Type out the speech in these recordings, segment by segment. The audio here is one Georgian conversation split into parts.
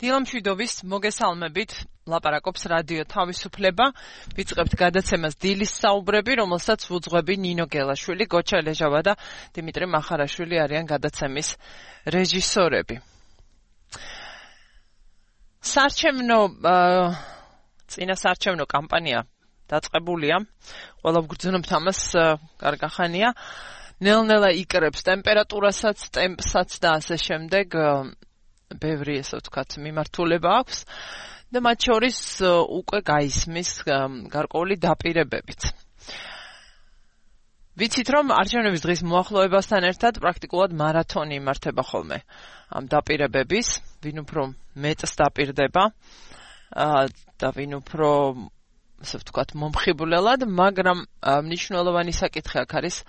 დილამშვიდობის მოგესალმებით, ლაპარაკობს რადიო თავისუფლება. ვიწყებთ გადაცემას დილის საუბრები, რომელსაც უძღვები ნინო გელაშვილი, გოჩა ლეჟავა და დიმიტრი მახარაშვილი არიან გადაცემის რეჟისორები. წინასარჩევნო კამპანია დაწყებულია. ყველა ვგრძნობთ ამას კარგახანია. ნელ-ნელა იკრებს ტემპერატურასაც, ტემპსაც და ასე შემდეგ. ბევრი ესე ვთქვათ მიმართულება აქვს და მათ შორის უკვე გაისმის გარკვეული დაპირებებიც. ვიცით რომ არჩევნების დღის მოახლოებასთან ერთად პრაქტიკულად მარათონი იმართება ხოლმე ამ დაპირებების, ვინ უფრო მეტს დაპირდება და ვინ უფრო ესე ვთქვათ მომხიბვლელად, მაგრამ მნიშვნელოვანი საკითხი აქ არის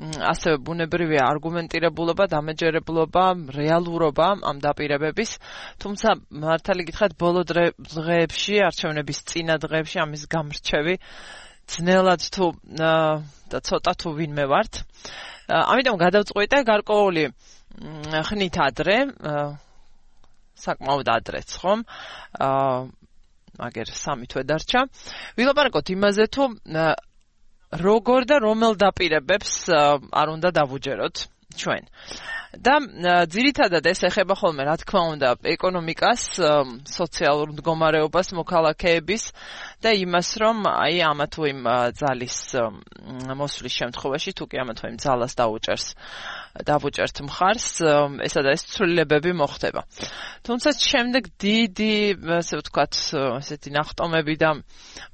ასევე ბუნებრივი არგუმენტირებულობა, დამეჯერებლობა, რეალურობა ამ დაპირებების, თუმცა მართალი გითხრათ, ბოლო დღეებში, არჩევნების წინა დღეებში ამის გამრჩევი ძნელად თუ და ცოტა თუ ვინმე ვართ. ამიტომ გადავწყვიტე გარკვეული ხნით ადრე, საკმაოდ ადრეც, ხომ? მაგერ 3 თვე დარჩა. ვილაპარაკოთ იმაზე, თუ როგორ და რომელ დაპირებებს არ უნდა დავუჯეროთ ჩვენ. და ძირითადად ეს ეხება ხოლმე, რა თქმა უნდა, ეკონომიკას, სოციალურ მდგომარეობას, მოქალაქეების და იმას, რომ აი ამა თუ იმ ძალის მოსვლის შემთხვევაში, თუ კი ამა თუ იმ ძალას დავუჭერთ მხარს, ესა და ეს ცვლილებები მოხდება. თუმცა შემდეგ დიდი, ასე ვთქვათ, ესეთი ნახტომები და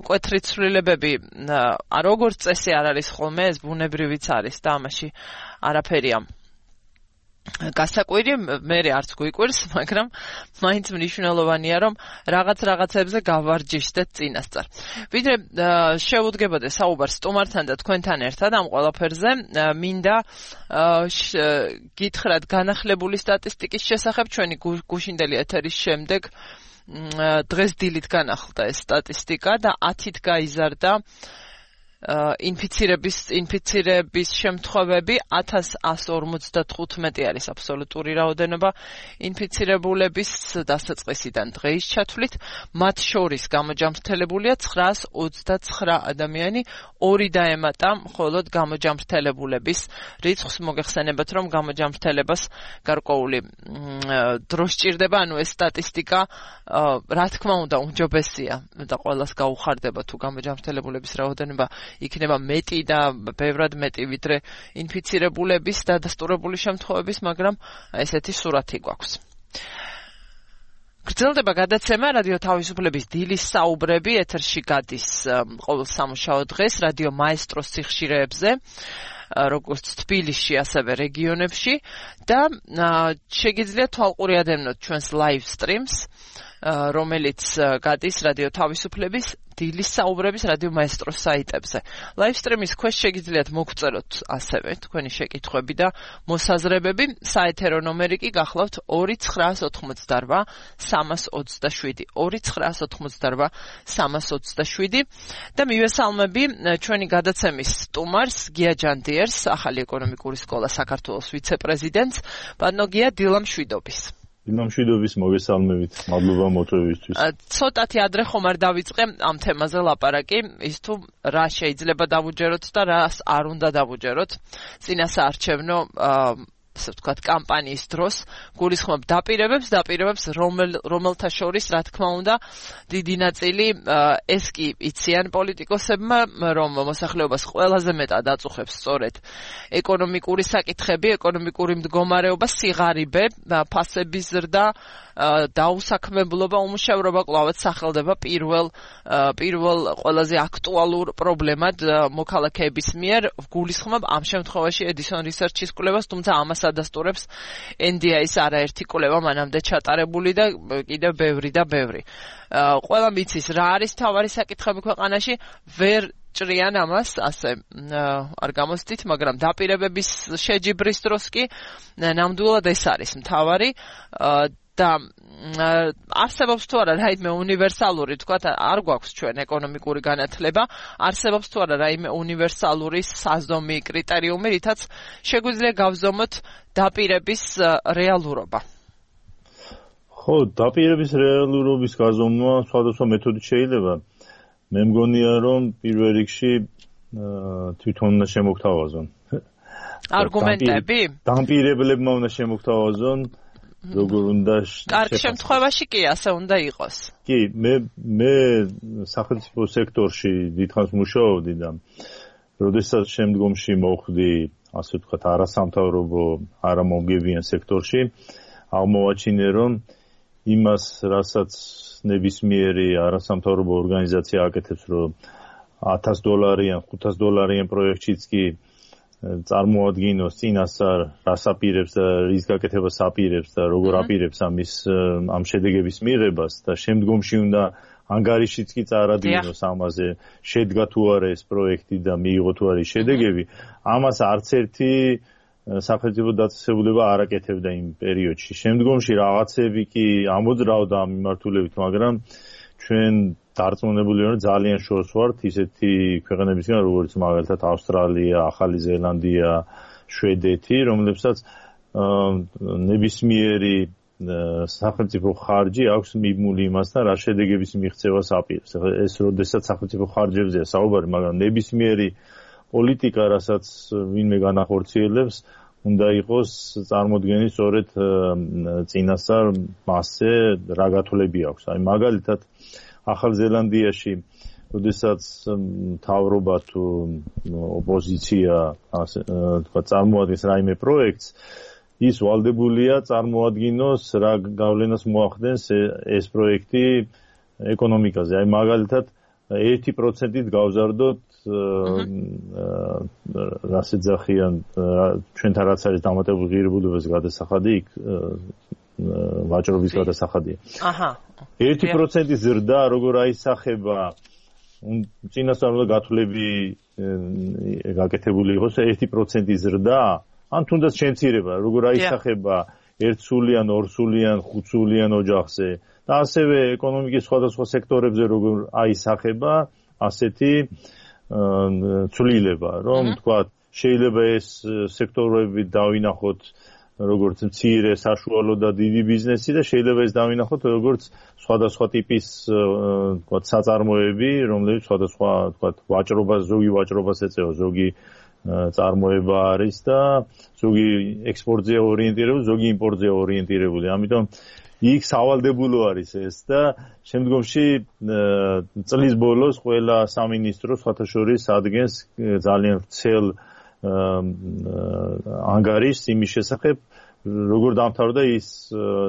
მკვეთრი ცვლილებები როგორც წესი არ არის ხოლმე, ეს ბუნებრივიც არის და ამაში არაფერია გასაკვირი, მე არც გვიკვირს, მაგრამ მაინც მნიშვნელოვანია, რომ რაღაცებზე გავარჯიშდეთ წინასწარ. ვიდრე შევუდგებოდე საუბარს სტუმართან და თქვენთან ერთად ამ ყველაფერზე, მინდა გითხრათ განახლებული სტატისტიკის შესახებ, ჩვენი გუშინდელი ეთერის შემდეგ დღეს დილით განახლდა ეს სტატისტიკა და 10-ით გაიზარდა ინფიცირების შემთხვევები 1155 არის აბსოლუტური რაოდენობა ინფიცირებულების დასაწყისიდან დღეის ჩათვლით, მათ შორის გამოჯამრთელებულია 929 ადამიანი, 2 დაემატა მხოლოდ გამოჯამრთელებულების რიცხვს. მოგეხსენებათ, რომ გამოჯამრთელებას გარკვეული დრო სჭირდება, ანუ ეს სტატისტიკა რა თქმა უნდა უმჯობესია და ყველას გაუხარდება თუ გამოჯამრთელებულების რაოდენობა იქნება მეტი და ბევრად მეტი ვიდრე ინფიცირებულების და დადასტურებული შემთხვევების, მაგრამ ესეთი სურათი გვაქვს. გრძელდება გადაცემა რადიო თავისუფლების დილის საუბრები, ეთერში გადის ყოველ სამუშაო დღეს რადიო მაესტროს სიხშირეებზე, როგორც თბილისში, ასევე რეგიონებში და შეგიძლიათ თვალყური ადევნოთ ჩვენს live streams, რომელიც გადის რადიო თავისუფლების დილის საუბრების რადიო მაესტროს საიტებზე. Live stream-ის ქვეშ შეგიძლიათ მოგწეროთ ასევე თქვენი შეკითხვები და მოსაზრებები. საეთერო ნომერი კი გახლავთ 2988 327 2988 327 და მივესალმები ჩვენი გადაცემის სტუმარს გია ჯანდიერს, ახალი ეკონომიკური სკოლა საქართველოს ვიცე-პრეზიდენტს, ბატონო გია, დილამშვიდობის. დილამშვიდობის, მოგესალმებით, მადლობა მოწვევისთვის. ცოტათი ადრე ხომ არ დავიწყე ამ თემაზე ლაპარაკი, ის თუ რა შეიძლება დავუჯეროთ და რას არ უნდა დავუჯეროთ წინასაარჩევნო ასე ვთქვათ კამპანიის დროს. გულისხმობ დაპირებებს, რომელთა შორის რა თქმა უნდა დიდი ნაწილი ეს კი იციან პოლიტიკოსებმა, რომ მოსახლეობას ყველაზე მეტად აწუხებს სწორედ ეკონომიკური საკითხები, ეკონომიკური მდგომარეობა, სიღარიბე, ფასების ზრდა, დაუსაქმებლობა, უმუშევრობა კვლავაც სახელდება პირველ ყველაზე აქტუალურ პრობლემად მოქალაქეების მიერ. გულისხმობ ამ შემთხვევაში Edison Research-ის კვლევას, თუმცა ამას ადასტურებს NDI-ის არაერთი კვლევა მანამდე ჩატარებული და კიდევ ბევრი და ბევრი. ყველა მიცის რა არის თავარი საკითხები ქვეყანაში, ვერ ჭრიან ამას, ასე არ გამოსდით, მაგრამ დაპირებების შეჯიბრის დროს კი ნამდვილად ეს არის მთავარი და არსებობს თუ არა რაიმე უნივერსალური, თქვათ, არ გვაქვს ჩვენ ეკონომიკური განათლება, არსებობს თუ არა რაიმე უნივერსალური საზომი კრიტერიუმი, რითაც შეგვიძლია გავზომოთ დაპირების რეალურობა. ხო, დაპირების რეალურობის გაზომვა სხვადასხვა მეთოდით შეიძლება. მე მგონია, რომ პირველ რიგში თვითონ უნდა შემოგთავაზონ. არგუმენტები? დამპირებლებმა უნდა შემოგთავაზონ, როგორ უნდა კარგ შემთხვევაში კი ასე უნდა იყოს. კი, მე სახელმწიფო სექტორში დიდხანს მუშაობდი და როდესაც შემდგომში მოხვდი, ასე ვთქვათ, არასამთავრობო, არამომგებიან სექტორში, აღმოვაჩინე, რომ იმას, რასაც ნებისმიერი არასამთავრობო ორგანიზაცია აკეთებს, რომ $1000-იან, $500 პროექტშიც კი წარმოადგინოს წინასწარ რას აპირებს და რის გაკეთებას აპირებს და როგორ აპირებს ამ შედეგების მიღებას და შემდგომში უნდა ანგარიშიც კი წარადგინოს ამაზე, შედგა თუ არა ეს პროექტი და მიიღო თუ არა შედეგები, ამას არც ერთი სახელმწიფო დაწესებულება არ აკეთებდა იმ პერიოდში. შემდგომში რაღაცები კი ამოძრავდა ამ მიმართულებით, მაგრამ ჩვენ დარწმუნებული ვართ, ძალიან შორს ვართ ისეთი ქვეყნებისგან, როგორც მაგალითად ავსტრალია, ახალი ზელანდია, შვედეთი, რომლებსაც ნებისმიერი სახელმწიფო ხარჯი აქვს მიბმული იმასთან, რა შედეგების მიღწევას აპირებს. ეს როდესაც სახელმწიფო ხარჯებზეა საუბარი, მაგრამ ნებისმიერი პოლიტიკა, რასაც ვინმე განახორციელებს, უნდა იყოს წარმოდგენილი სწორედ წინასწარ მასზე რა გათვლები აქვს. აი მაგალითად ახალ ზელანდიაში, როდესაც მთავრობა თუ ოპოზიცია, ასე თქვა, წარმოადგენს რაიმე პროექტს, ის ვალდებულია წარმოადგინოს რა გავლენას მოახდენს ეს პროექტი ეკონომიკაზე. აი მაგალითად 1%-ით გავზარდოთ რას ეძახიან ჩვენთან რაც არის დამატებული ღირებულებას გადასახადი, იქ ვაჭრობის გადასახადია. აჰა. 1%-ის ზრდა როგორ აისახება წინასწარ უნდა გათვლები გაკეთებული იყოს 1%-ის ზრდა, ან თუნდაც შემცირება, როგორ აისახება 1-სულიან, 2-სულიან, 5-სულიან ოჯახზე და ასევე ეკონომიკის სხვადასხვა სექტორებზე როგორ აისახება ასეთი ცვლილება, რომ თქვა შეიძლება ეს სექტორები დავინახოთ როგორც მცირე, საშუალო და დიდი ბიზნესი და შეიძლება ეს დავინახოთ როგორც სხვადასხვა ტიპის თქვა საწარმოები, რომლებიც სხვადასხვა თქვა ვაჭრობას, ზოგი ვაჭრობას ეწევა, ზოგი წარმოება არის და ზოგი ექსპორტზე ორიენტირებული, ზოგი იმპორტზე ორიენტირებული. ამიტომ იქ სავალდებულო არის ეს და შემდგომში წლის ბოლოს ყველა სამინისტრო სხვათა შორის ადგენს ძალიან ვრცელ ანგარიშს იმის შესახებ, როგორ დამთავრდა ის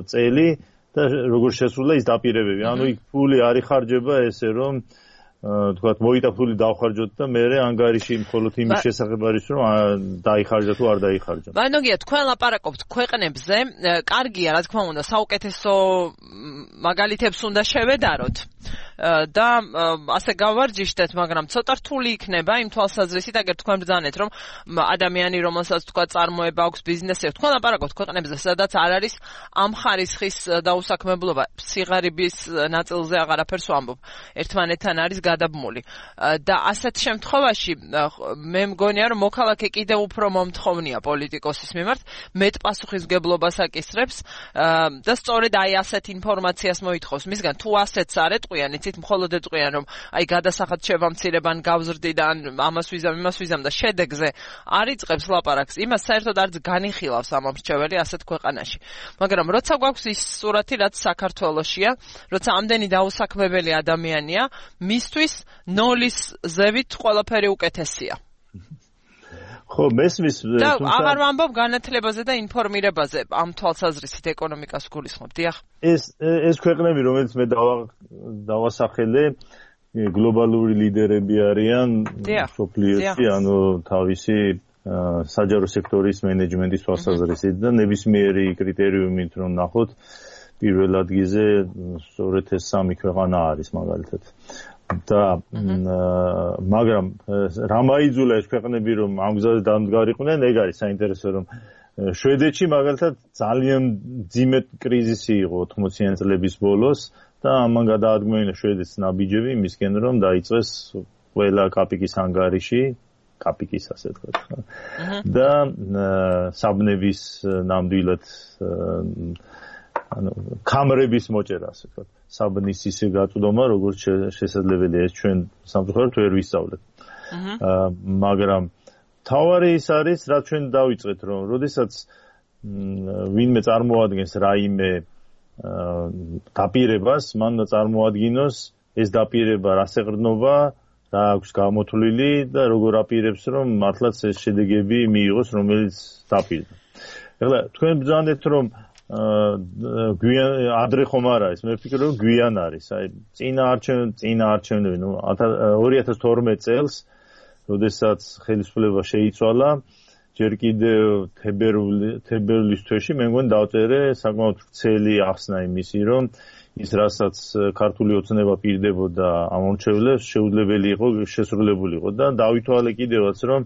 წელი და როგორ შესრულდა ის დაპირებები. ანუ იქ ფული არ იხარჯება ესე რომ თქვათ მოიტა ფული დავხარჯოთ და მე ანგარიში მხოლოდ იმის შესახებ არის რომ დაიხარჯა თუ არ დაიხარჯა. ბანოგია, თქვენ ლაპარაკობთ ქვეყნებზე, კარგია რა თქმა უნდა, საუკეთესო მაგალითებს უნდა შევედაროთ და ასე გავარჯიშდეთ, მაგრამ ცოტა რთული იქნება იმ თვალსაზრისით, აგერ თქვენ ბრძანეთ, რომ ადამიანი, რომელსაც თქვა წარმოება აქვს, ბიზნესი აქვს, თქვენ ლაპარაკობთ ქვეყნებზე, სადაც არ არის ამ ხარისხის დაუსაქმებლობა, სიღარიბის ნაწილზე აღარაფერს ვამბობ, ერთმანეთთან არის გადაბმული. და ასეთ შემთხვევაში მე მგონია, რომ მოქალაქე კიდევ უფრო მომთხოვნია პოლიტიკოსის მიმართ, მეტ პასუხისმგებლობას აკისრებს და სწორედ აი ასეთ ინფორმაციას მოითხოვს მისგან, თუ ასეთს არ ეტყვიან, იცით, მხოლოდ ეტყვიან, რომ აი გადასახად შევამცირებან, გავზრდიდან, ამას ვიზამ, იმას ვიზამ და შედეგზე არ იწყებს ლაპარაკს, იმას საერთოდ არც განიხილავს ამომრჩეველი ასეთ ქვეყანაში. მაგრამ როცა გვაქვს ის სურათი, რაც საქართველოშია, როცა ამდენი დაუსაქმებელი ადამიანია, მისთვის ნოლის ზევით ყველაფერი უკეთესია. ხო, მესმის და აღარ ვამბობ განათლებაზე და ინფორმირებაზე, ამ თვალსაზრისით ეკონომიკას გულისხმობ, დიახ. ეს ქვეყნები, რომელიც მე დავასახელე, გლობალური ლიდერები არიან სოფლიოში, ანუ თავისი საჯარო სექტორის მენეჯმენტის თვალსაზრისით და ნებისმიერი კრიტერიუმით რომ ნახოთ, პირველ ადგილზე სწორედ ეს სამი ქვეყანა არის მაგალითად. და მაგრამ რა მაიძულა ეს ქვეყნები რომ ამ გზაზე დამდგარიყვნენ, ეგ არის საინტერესო, რომ შვედეთში მაგალითად ძალიან ძიმეთ კრიზისი იყო 80-იან წლების ბოლოს და ამან გადაადგმევინა შვედეთის ნაბიჯები იმისკენ, რომ დაიწყეს ყველა კაპიკის ანგარიში, კაპიკის ასე თქვა. და საბნების ნამდვილად კამრების მოჭერა, ასე ვთქვათ, საბნის ისე გაწვდომა, როგორც შესაძლებელია ეს ჩვენ სამწუხაროდ ვერ ვისწავლეთ. მაგრამ თავარი ის არის, რაც ჩვენ დავიწყეთ, რომ როდესაც ვინმე წარმოადგენს რაიმე დაპირებას, მან წარმოადგინოს ეს დაპირება რას ეყრდნობა, რა აქვს გამოთვლილი და როგორ აპირებს, რომ მართლაც ეს შედეგები მიიღოს, რომელიც დაპირდა. ეხლა თქვენ ბრძანდეთ, რომ გვიან ადრე ხომ არ არის, მე ვფიქრობ, რომ გვიან არის. აი წინა არჩევნები, 2012 წელს, როდესაც ხელისუფლება შეიცვალა, ჯერ კიდევ თებერვლის თვეში მე მგონი დავწერე საკმაოდ ვრცელი ახსნა იმისი, რომ ის რასაც ქართული ოცნება პირდებოდა ამორჩევლებს, შეუძლებელი იყო შესრულებული იყო და დავითვალე კიდევაც, რომ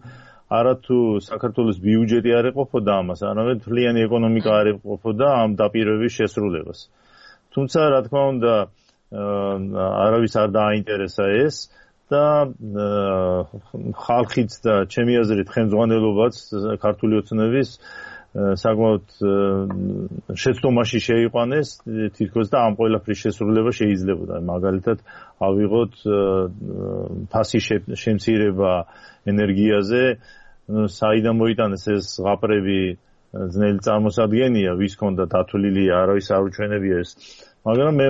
არათუ საქართველოს ბიუჯეტი არ ეყოფოდა ამას, არამედ მთლიანი ეკონომიკა არ ეყოფოდა ამ დაპირებების შესრულებას. თუმცა, რა თქმა უნდა, არავის არ დააინტერესა ეს და ხალხიც და ჩემი აზრით ხელმძღვანელობაც ქართული ოცნების საკმაოდ შეცდომაში შეიყვანეს თითქოს და ამ ყველაფრის შესრულება შეიძლებოდა. მაგალითად, ავიღოთ ფასი შემცირება ენერგიაზე, საიდან მოიტანეს ეს ზღაპრები ძნელი წარმოსადგენია, ვის ჰქონდა დათვლილი, არავის არ უჩვენებია ეს. მაგრამ მე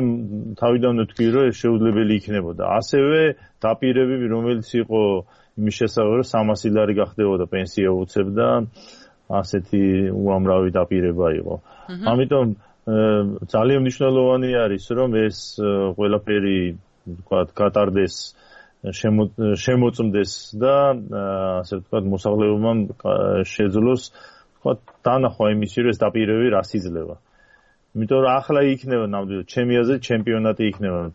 თავიდანვე ვთქვი, რომ ეს შეუძლებელი იქნებოდა. ასევე დაპირებები, რომელიც იყო იმის შესაძლებელი, რომ 300 ლარი გახდებოდა პენსია უცებდა, ასეთი უამრავი დაპირება იყო. ამიტომ ძალიან მნიშვნელოვანი არის, რომ ეს ყველაფერი, ვთქვათ, გატარდეს, შემოწმდეს და ასე ვთქვათ, მოსახლეობამ შეძლოს, ვთქვათ, დანახვა იმისი, რომ ეს დაპირებები რას იძლევა. იმიტომ რომ ახლა იქნება ნამდვილად ჩემი აზრით ჩემპიონატი იქნება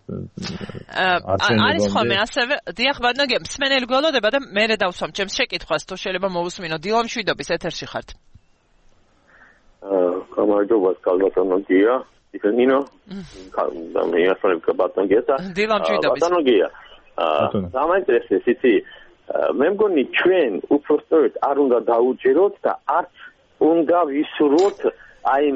არჩევნებამდე. არის ხოლმე ასევე დიახ, ბატონო, მსმენელი გველოდება და მე დავსვამ ჩემს შეკითხვას, თუ შეიძლება მოусმინო. დილამ შვიდობის ეთერში ხართ. გამარჯობა, კალბატონო გია. ისენინო? და მე ასწავლებ ბატონო გიასა. დილამ შვიდობის. ბატონო გია. დამაინტერესებს იცი, მე მგონი ჩვენ უпростоეთ არ უნდა დაუჯეროთ და არც უნდა ვისურვოთ აი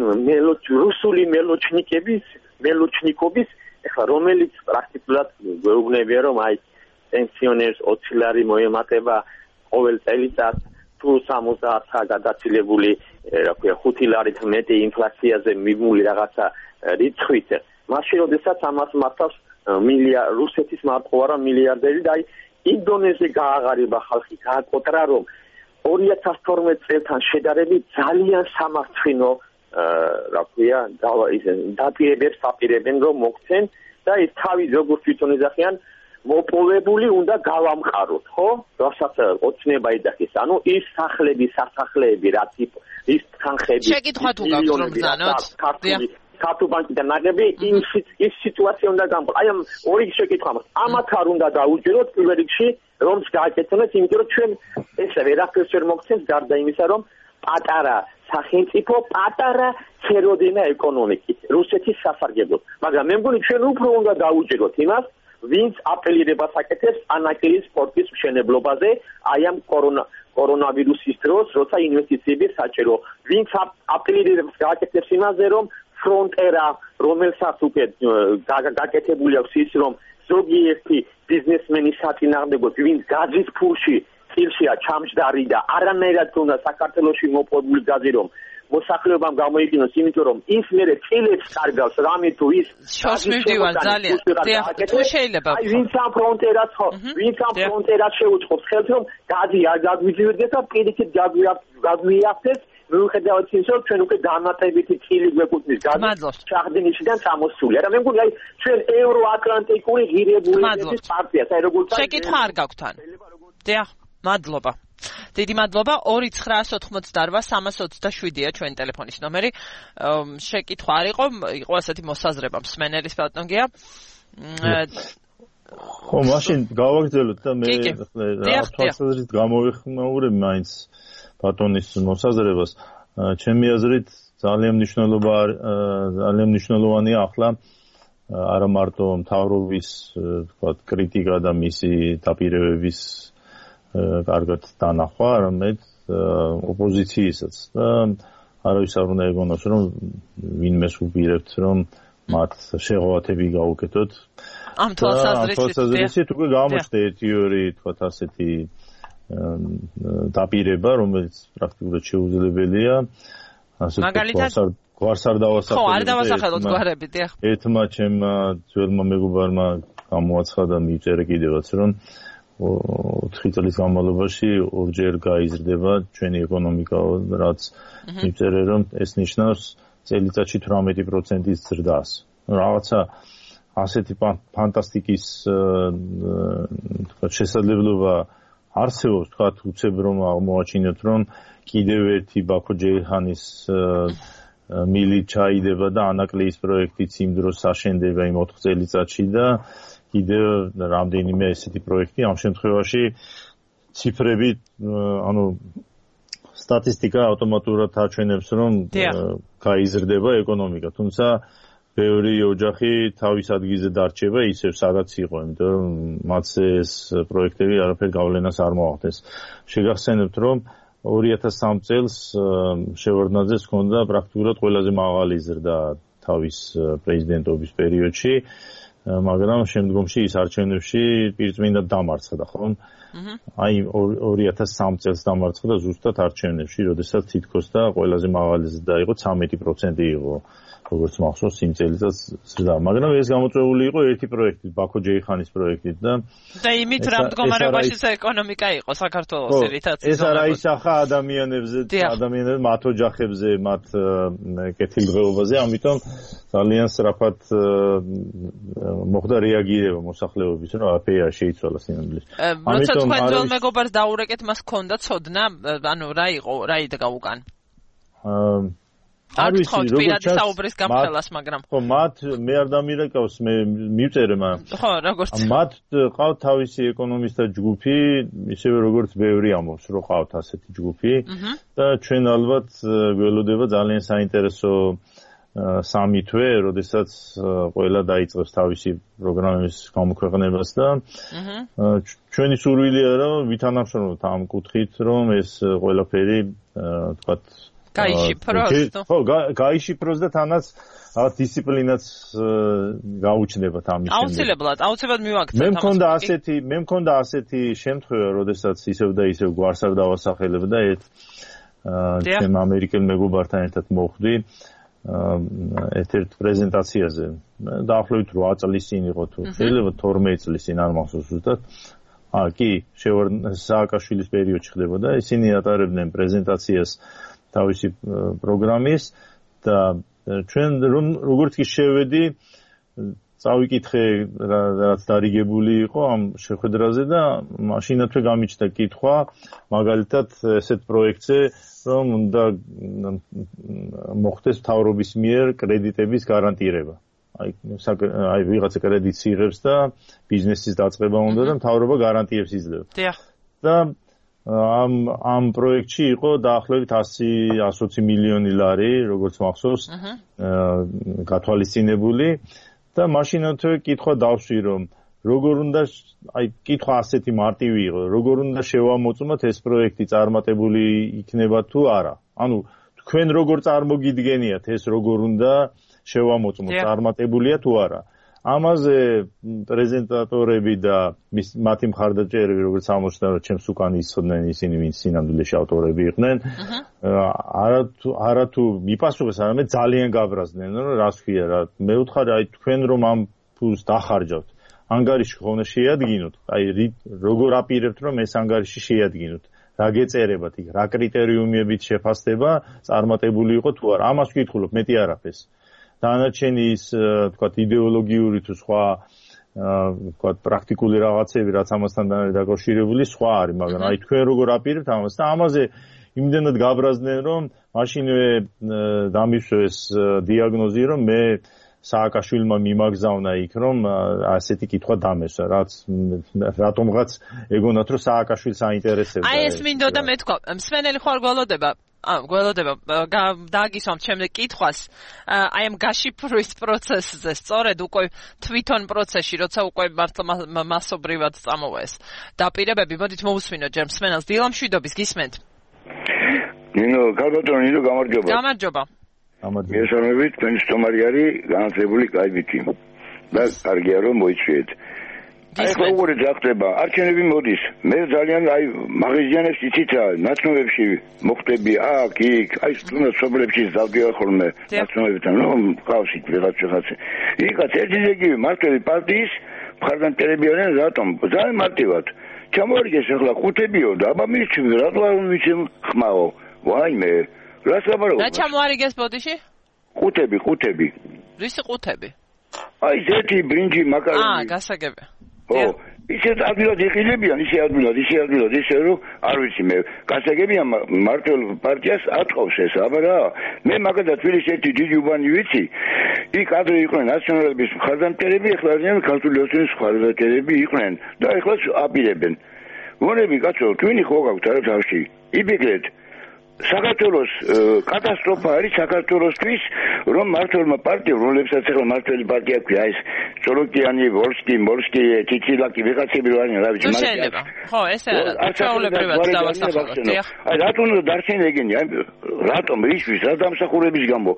რუსული მელოჩნიკობის, ეხლა რომელიც პრაქტიკულად გვეუბნებია, რომ აი პენსიონერს 20 ლარი მოემატება ყოველ წელიწად, თუ 70-ა გადაცილებული, რა ქვია, 5 ლარით მეტი ინფლაციაზე მიმული რაღაცა რიცხვით. მაშინ როდესაც ამას მართავს რუსეთის მარტო არა მილიარდერი და აი ინდონეზია გააღარიბა ხალხი, გააკოტრა, რომ 2012 წელთან შედარებით ძალიან სამართლინო რა ქვია, დაპირებებს აპირებენ, რომ მოქცენ და ეს თავი როგორც თვითონ ეძახიან, მოპოვებული უნდა გავამყაროთ, ხო? რასაც ოცნება ეძახის. ანუ ის სასახლეები, რაც ის თანხები, შეკითხვა თუ გაქვს რომ ბრძანოთ? ქართულ ბანკიდან ნაგები, ის სიტუაცია უნდა გამყო. აი ამ ორი შეკითხვა მაქვს. ამათ არ უნდა დაუჯეროთ პირველ რიგში, რომ გააკეთოს, იმიტომ რომ ჩვენ ეს ვერაფერს ვერ მოგცემს გარდა იმისა, რომ პატარა სახელმწიფო, პატარა ცეროდინა ეკონომიკით, რუსეთის სასარგებლოდ. მაგრამ მე მგონი ჩვენ უფრო უნდა დაუჯეროთ იმას, ვინც აპელირებას აკეთებს ანაკელის სპორტის მშენებლობაზე, აი ამ კორონავირუსის დროს, როცა ინვესტიციები საჭირო. ვინც აპელირებას გააკეთებს იმაზე, რომ ფრონტერა, რომელსაც უკვე გაკეთებული აქვს ის, რომ ზოგიერთი ბიზნესმენი საწინააღმდეგოდ, ვინც გაძის ფულში წილშია ჩამჯდარი და არანაირად უნდა საქართველოში მოპოვებული გაზი, რომ მოსახლეობამ გამოიყენოს, იმიტომ რომ ის მერე წილებს კარგავს, რამე თუ ის შორს მივდივარ ძალიან. თუ შეიძლება. აი ვინც ამ ფრონტერას შეუწყობს ხელს, რომ გაზი არ გაგვიძიებდეს და პირიქით გაგვიაფთეს, მიუხედავად იმისა, რომ ჩვენ უკვე დამატებითი წილი გვეკუთვნის გაზი ჩაღდენისიდან წამოსული. არა, მე მგონი აი ჩვენ ევროატლანტიკური ღირებულებების პარტია, აი როგორც შეკითხვა არ გაქვთ თან. დიახ, მადლობა. დიდი მადლობა. 2-988-327-ია ჩვენი ტელეფონის ნომერი. შეკითხვა არ იყო ასეთი მოსაზრება მსმენელის ბატონგია. ხო, მაშინ გავაგრძელოთ და მე თვალსაზრისით გამოვიხმაურებ მაინც ბატონის მოსაზრებას. ჩემი აზრით ძალიან მნიშვნელოვანია ახლა არა მარტო მთავრობის, თქვათ, კრიტიკა და მისი დაპირებების კარგად დანახვა, არამედ ოპოზიციისაც. და არავის არ უნდა ეგონოს, რომ ვინმეს უპირებთ, რომ მათ შეღავათები გაუკეთოთ. ამ თვალსაზრისით უკვე გამოჩნდა ერთი-ორი თქვათ ასეთი დაპირება, რომელიც პრაქტიკულად შეუძლებელია. მაგალითად გვარს არ დავასახელებ. ხო, არ დავასახელოთ გვარები, დიახ. ერთმა ჩემმა ძველმა მეგობარმა გამოაცხადა მიწერე კიდევაც, რომ 4 წლის განმავლობაში ორჯერ გაიზრდება ჩვენი ეკონომიკა, რაც მიწერე, რომ ეს ნიშნავს წელიწადში 18%-ის ზრდას. რაღაცა ასეთი ფანტასტიკის თქვათ შესაძლებლობა არსებობს, თქვათ უცებ რომ აღმოაჩინოთ, რომ კიდევ ერთი ბაქო ჯეიჰანის მილი ჩაიდება და ანაკლიის პროექტიც იმ დროს აშენდება იმ 4 წელიწადში და კიდევ რამდენიმე ესეთი პროექტი ამ შემთხვევაში ციფრები ანუ სტატისტიკა ავტომატურად აჩვენებს რომ გაიზრდება ეკონომიკა, თუმცა ბევრი ოჯახი თავის ადგილზე დარჩება ისევ სადაც იყო, იმიტომ რომ მათზე ეს პროექტები არაფერ გავლენას არ მოახდენს. შეგახსენებთ რომ 2003 წელს შევარდნაძეს ჰქონდა პრაქტიკულად ყველაზე მაღალი ზრდა თავის პრეზიდენტობის პერიოდში, მაგრამ შემდგომში ის არჩევნებში პირწმინდად დამარცხდა, ხო? აი 2003 წელს დამარცხდა ზუსტად არჩევნებში, როდესაც თითქოს და ყველაზე მაღალი ზრდა იყო 13% იყო. როგორც მახსოვს იმ წელიწადს ზრდა, მაგრამ ეს გამოწვეული იყო ერთი პროექტით, ბაქო ჯეიჰანის პროექტით და იმით რა მდგომარეობაში ეკონომიკა იყო საქართველოს ერთად. ეს არა ისახა ადამიანებზე, მათ ოჯახებზე, მათ კეთილდღეობაზე, ამიტომ ძალიან სწრაფად მოხდა რეაგირება მოსახლეობის, რომ აფეა შეიცვალა სინამდვილეში. როცა თქვენ ძველ მეგობარს დაურეკეთ, მას ჰქონდა ცოდნა, ანუ რა იყო, რა იდგა უკან? არ ვიცი, როგორც საუბრის გამხელას, მაგრამ ხო, მათ მე არ დამირეკავს, მე მივწერე მან. ხო, როგორც მათ ყავთ თავისი ეკონომისტთა ჯგუფი, ისევე როგორც ბევრი ამბობს, რომ ყავთ ასეთი ჯგუფი და ჩვენ ალბათ გველოდება ძალიან საინტერესო სამი თვე, როდესაც ყველა დაიწყებს თავისი პროგრამების გამოქვეყნებას და ჩვენი სურვილია, რომ ვითანამშრომლოთ ამ კუთხით, რომ ეს ყველაფერი თქვათ გაიშიფროს. ხო, გაიშიფროს და თანაც დისციპლინაც გაუჩნდებათ ამის შემდეგ. აუცილებლად მივაქცევთ ამას. მე მქონდა ასეთი შემთხვევა, როდესაც ისევ და ისევ გვარს არ დავასახელებ და ჩემ ამერიკელ მეგობართან ერთად მოვხვდი ერთ-ერთ პრეზენტაციაზე. დაახლოებით 8 წლის წინ იყო თუ შეიძლება 12 წლის წინ არ მახსოვს ზუსტად. კი, სააკაშვილის პერიოდში ხდებოდა. ისინი ატარებდნენ პრეზენტაციას თავისი პროგრამის და ჩვენ როგორც კი შევედი წავიკითხე რაც დარიგებული იყო ამ შეხვედრაზე და მაშინათვე გამიჩნდა კითხვა მაგალითად ესეთ პროექტზე რომ უნდა მოხდეს მთავრობის მიერ კრედიტების გარანტირება. აი ვიღაცა კრედიტს იღებს და ბიზნესის დაწყება უნდა და მთავრობა გარანტიებს იძლევა. და ამ პროექტში იყო დაახლოებით 100-120 მილიონი ლარი, როგორც მახსოვს, გათვალისწინებული და მაშინათვე კითხვა დავსვი, რომ როგორ უნდა, აი კითხვა ასეთი მარტივი იყო, როგორ უნდა შევამოწმოთ ეს პროექტი წარმატებული იქნება თუ არა. ანუ თქვენ როგორ წარმოგიდგენიათ ეს როგორ უნდა შევამოწმოთ, წარმატებულია თუ არა. ამაზე პრეზენტატორები და მათი მხარდაჭერები, როგორც აღმოჩნდა, ჩემს უკან ისხდნენ ისინი, ვინც სინამდვილეში ავტორები იყვნენ. არათუ მიპასუხეს, არამედ ძალიან გაბრაზდნენ, რომ რას ქვია რა. მე ვთხარი, აი თქვენ რომ ამ ფულს დახარჯავთ, ანგარიში ხომ შეადგინოთ, აი როგორ აპირებთ რომ ეს ანგარიში შეადგინოთ. რა გეწერებათ იქ, რა კრიტერიუმებით შეფასდება, წარმატებული იყო თუ არა. ამას ვკითხულობ, მეტი არაფერს. დანარჩენი ის თქვათ იდეოლოგიური თუ სხვა თქვათ პრაქტიკული რაღაცები რაც ამასთან დაკავშირებული სხვა არის, მაგრამ აი თქვენ როგორ აპირებთ ამას და ამაზე იმდენად გაბრაზდნენ რომ მაშინვე დამისვეს დიაგნოზი რომ მე სააკაშვილმა მიმაგზავნა იქ რომ ასეთი კითხვა დამესვა, რატომღაც ეგონათ რომ სააკაშვილს აინტერესებდა. აი ეს მინდოდა მეთქვა, მსმენელი ხარ გველოდება დაგისვამთ შემდეგ კითხვას აი ამ გაშიფრვის პროცესზე, სწორედ უკვე თვითონ პროცესში, როცა უკვე მართლა მასობრივად წამოვა ეს დაპირებები, მოდით მოусმინოთ ჯერ მსმენელს. დილამშვიდობის, გისმენთ? ნინო, კარბატონი, ნინო, გამარჯობა. გამარჯობა. მიესალმებით, თქვენი სტუმარი არის განათლებული კაიბითი. და კარგია რომ მოიწვიეთ. აი როგორ ძახდება, არჩევნები მოდის. მე ძალიან აი მაღაზიანებს იცით რა, ნაცნობებში მოხდები აქ, იქ, აი თუნდაც სოფლებში დავდივარ ხოლმე ნაცნობებთან, რომ ყავსით ვიღაც. იქაც ერთი ზეგივე მართლი პარტიის მხარდამჭერები არიან, რატომ? ძალიან მარტივად. ჩამოარგეს ახლა ყუთებიო და აბა მისჩვენ, რატომ ვიცი ხმაო. ვაიმე, რას ლაპარაკობ? რა ჩამოარიგეს ბოდიში? ყუთები. რისი ყუთები? აი ზეთი, ბრინჯი, მაკარონი. გასაგები. ო, ისე ადვილად იყილებიან, ისე ადვილად, ისე რომ არ ვიცი მე. გასაგებია მართლ პარტიას ატყობს ეს, აბა რა. მე მაგალითად თბილისში ერთი დიდი უბანი ვიცი. იქ ადრე იყვნენ ნაციონალების მხარდამჭერები, ახლა არიან ქართული ოცნების მხარდამჭერები იყვნენ და ახლა აპირებენ. მონები კაცო, თქვენი ხო გაქვთ არა თავში? იბეგრეთ საქართველოს კატასტროფა არის საქართველოსთვის, რომ მართლმა პარტიამ, რომლებსაც ახლა მართლი პარტია ქვია, ეს წოლოკიანი, ვოლსკი, მოლსკი, ჩიჩილაკი, ვიღაცები რა არის, რა ვიცი, მაგრამ შეიძლება. ხო, ესე არა. ჩვეულებრივად დავასახელოთ. აი რატომ დარჩენ ეგენი? აი რატომ ისთვის, რა დამსახურების გამო?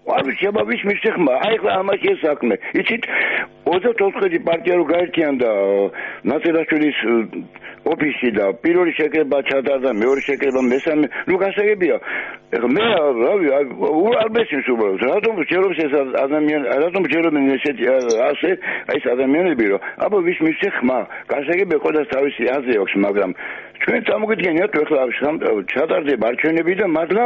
არ ვიცი, აბა ვის მისცეხმა? აი ხა ამაში ეს საქმე. იცით 24 პარტია რო გაერთიანდა ნაცელაშვილის ოფისი და პირველი შეკრება ჩატარდა, მეორე შეკრება, მესამე, ნუ გასაგებია. მე რავი, არ მესმის უბრალოდ. რატომ ჯერობს ეს ადამიანი, რატომ ჯერობენ ესეთი ასე, აი ეს ადამიანები რომ აბა ვის მისცეხმა? გასაგებია ყოდას თავისი აზრი აქვს, მაგრამ ჩვენ წამოგიდგენიათ ახლა ჩატარდება არჩევნები და მართლა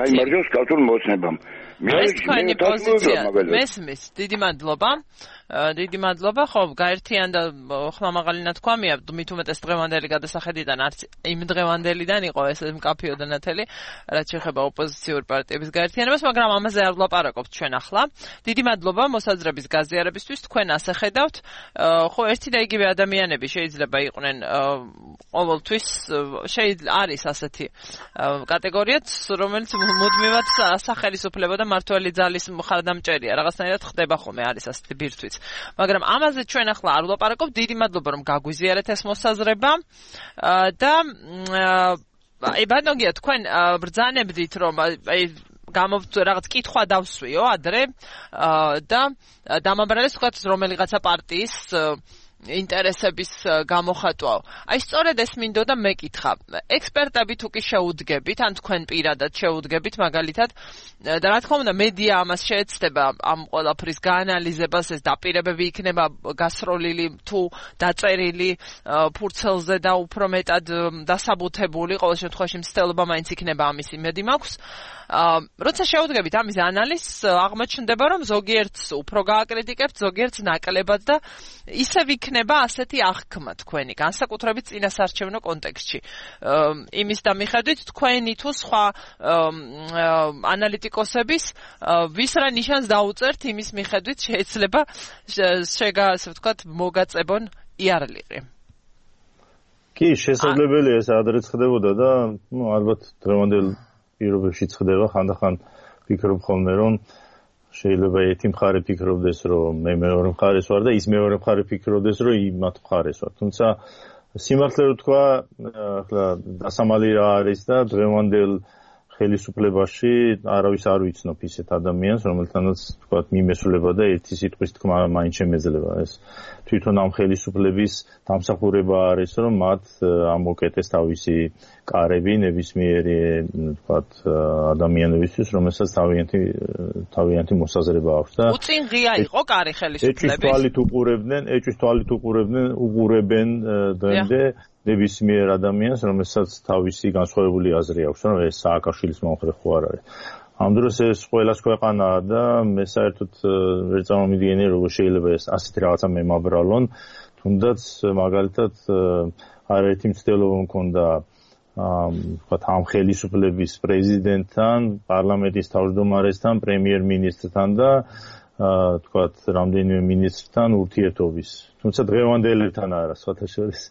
გაიმარჯვოს ქართულ მოწნებამ. ეს თქვენი პოზიცია. მესმის, დიდი მადლობა, ხო, გაერთიანდა ხლამაღალი ნათქვამია, მით უმეტეს დღევანდელი გადასახედიდან, არც იმ დღევანდელიდან იყო ეს მკაფიო და ნათელი, რაც შეეხება ოპოზიციური პარტიების გაერთიანებას, მაგრამ ამაზე არ ვლაპარაკობთ ჩვენ ახლა. დიდი მადლობა მოსაზრების გაზიარებისთვის, თქვენ ასე ხედავთ, ხო, ერთი და იგივე ადამიანები შეიძლება იყვნენ ყოველთვის, არის ასეთი კატეგორიაც, რომელიც მუდმივად სახელისუფლებო და მართველი ძალის მხარდამჭერია, რაღაცნაირად ხდება ხოლმე, არის ასეთი ბირთვიც. მაგრამ ამაზე ჩვენ ახლა არ ვლაპარაკობთ. დიდი მადლობა რომ გაგვიზიარეთ ეს მოსაზრება და აი ბანოგია თქვენ ბრძანებდით რომ აი რაღაც კითხვა დავსვიო ადრე და დამაბრალეს თქვათ რომელიღაცა პარტიის ინტერესების გამოხატვაო. აი სწორედ ეს მინდოდა მეკითხა. ექსპერტები თუ კი შეუდგებით, ან თქვენ პირადად შეუდგებით მაგალითად და რა თქმა უნდა მედია ამას შეეცდება ამ ყველაფრის გაანალიზებას, ეს დაპირებები იქნება გასროლილი თუ დაწერილი ფურცელზე და უფრო მეტად დასაბუთებული, ყოველ შემთხვევაში მცდელობა მაინც იქნება ამის იმედი მაქვს. როცა შეუდგებით ამის ანალიზს, აღმოჩნდება რომ ზოგიერთს უფრო გააკრიტიკებთ, ზოგიერთს ნაკლებად და ისევ იქნება ასეთი აღქმა თქვენი, განსაკუთრებით წინასარჩევნო კონტექსტში. იმის და მიხედვით თქვენი თუ სხვა ანალიტიკოსების ვის რა ნიშანს დაუწერთ, იმის მიხედვით შეიძლება ასე ვთქვათ მოგაწებონ იარლიყი. კი, შესაძლებელია ეს ადრეც ხდებოდა და ალბათ დღევანდელ პირობებში ხდება, ხანდახან ვფიქრობ ხოლმე რომ შეიძლება ერთი მხარე ფიქრობდეს რომ მე მეორე მხარეს ვარ და ის მეორე მხარე ფიქრობდეს რომ იმათ მხარეს ვარ. თუმცა სიმართლე რომ თქვა, ახლა დასამალი რა არის და დღევანდელ ხელისუფლებაში არავის არ ვიცნობ ისეთ ადამიანს, რომელთანაც თქვა მიმესულება და ერთი სიტყვის თქმა მაინც შემეძლება. ეს თვითონ ამ ხელისუფლების დამსახურება არის, რომ მათ ამოკეტეს თავისი კარები ნებისმიერი თქვა ადამიანებისთვის, რომელსაც თავიანთი მოსაზრება აქვს და უწინ ღია იყო კარი ხელისუფლების. ეჭვის თვალით უყურებენ დღემდე ნებისმიერ ადამიანს, რომელსაც თავისი განსხვავებული აზრი აქვს, რომ ეს სააკაშვილის მომხრე ხო არ არის. ამ დროს ეს ყველას ქვეყანაა და მე საერთოდ ვერ წარმომიდგენია როგორ შეიძლება ეს ასეთი რაღაცა მემაბრალონ, თუნდაც მაგალითად არაერთი მცდელობა მქონდა ამ ხელისუფლების პრეზიდენტთან, პარლამენტის თავმჯდომარესთან, პრემიერ-მინისტრთან და თქვათ რამდენიმე მინისტრთან ურთიერთობის. თუმცა დღევანდელებთან არა, სხვათა შორის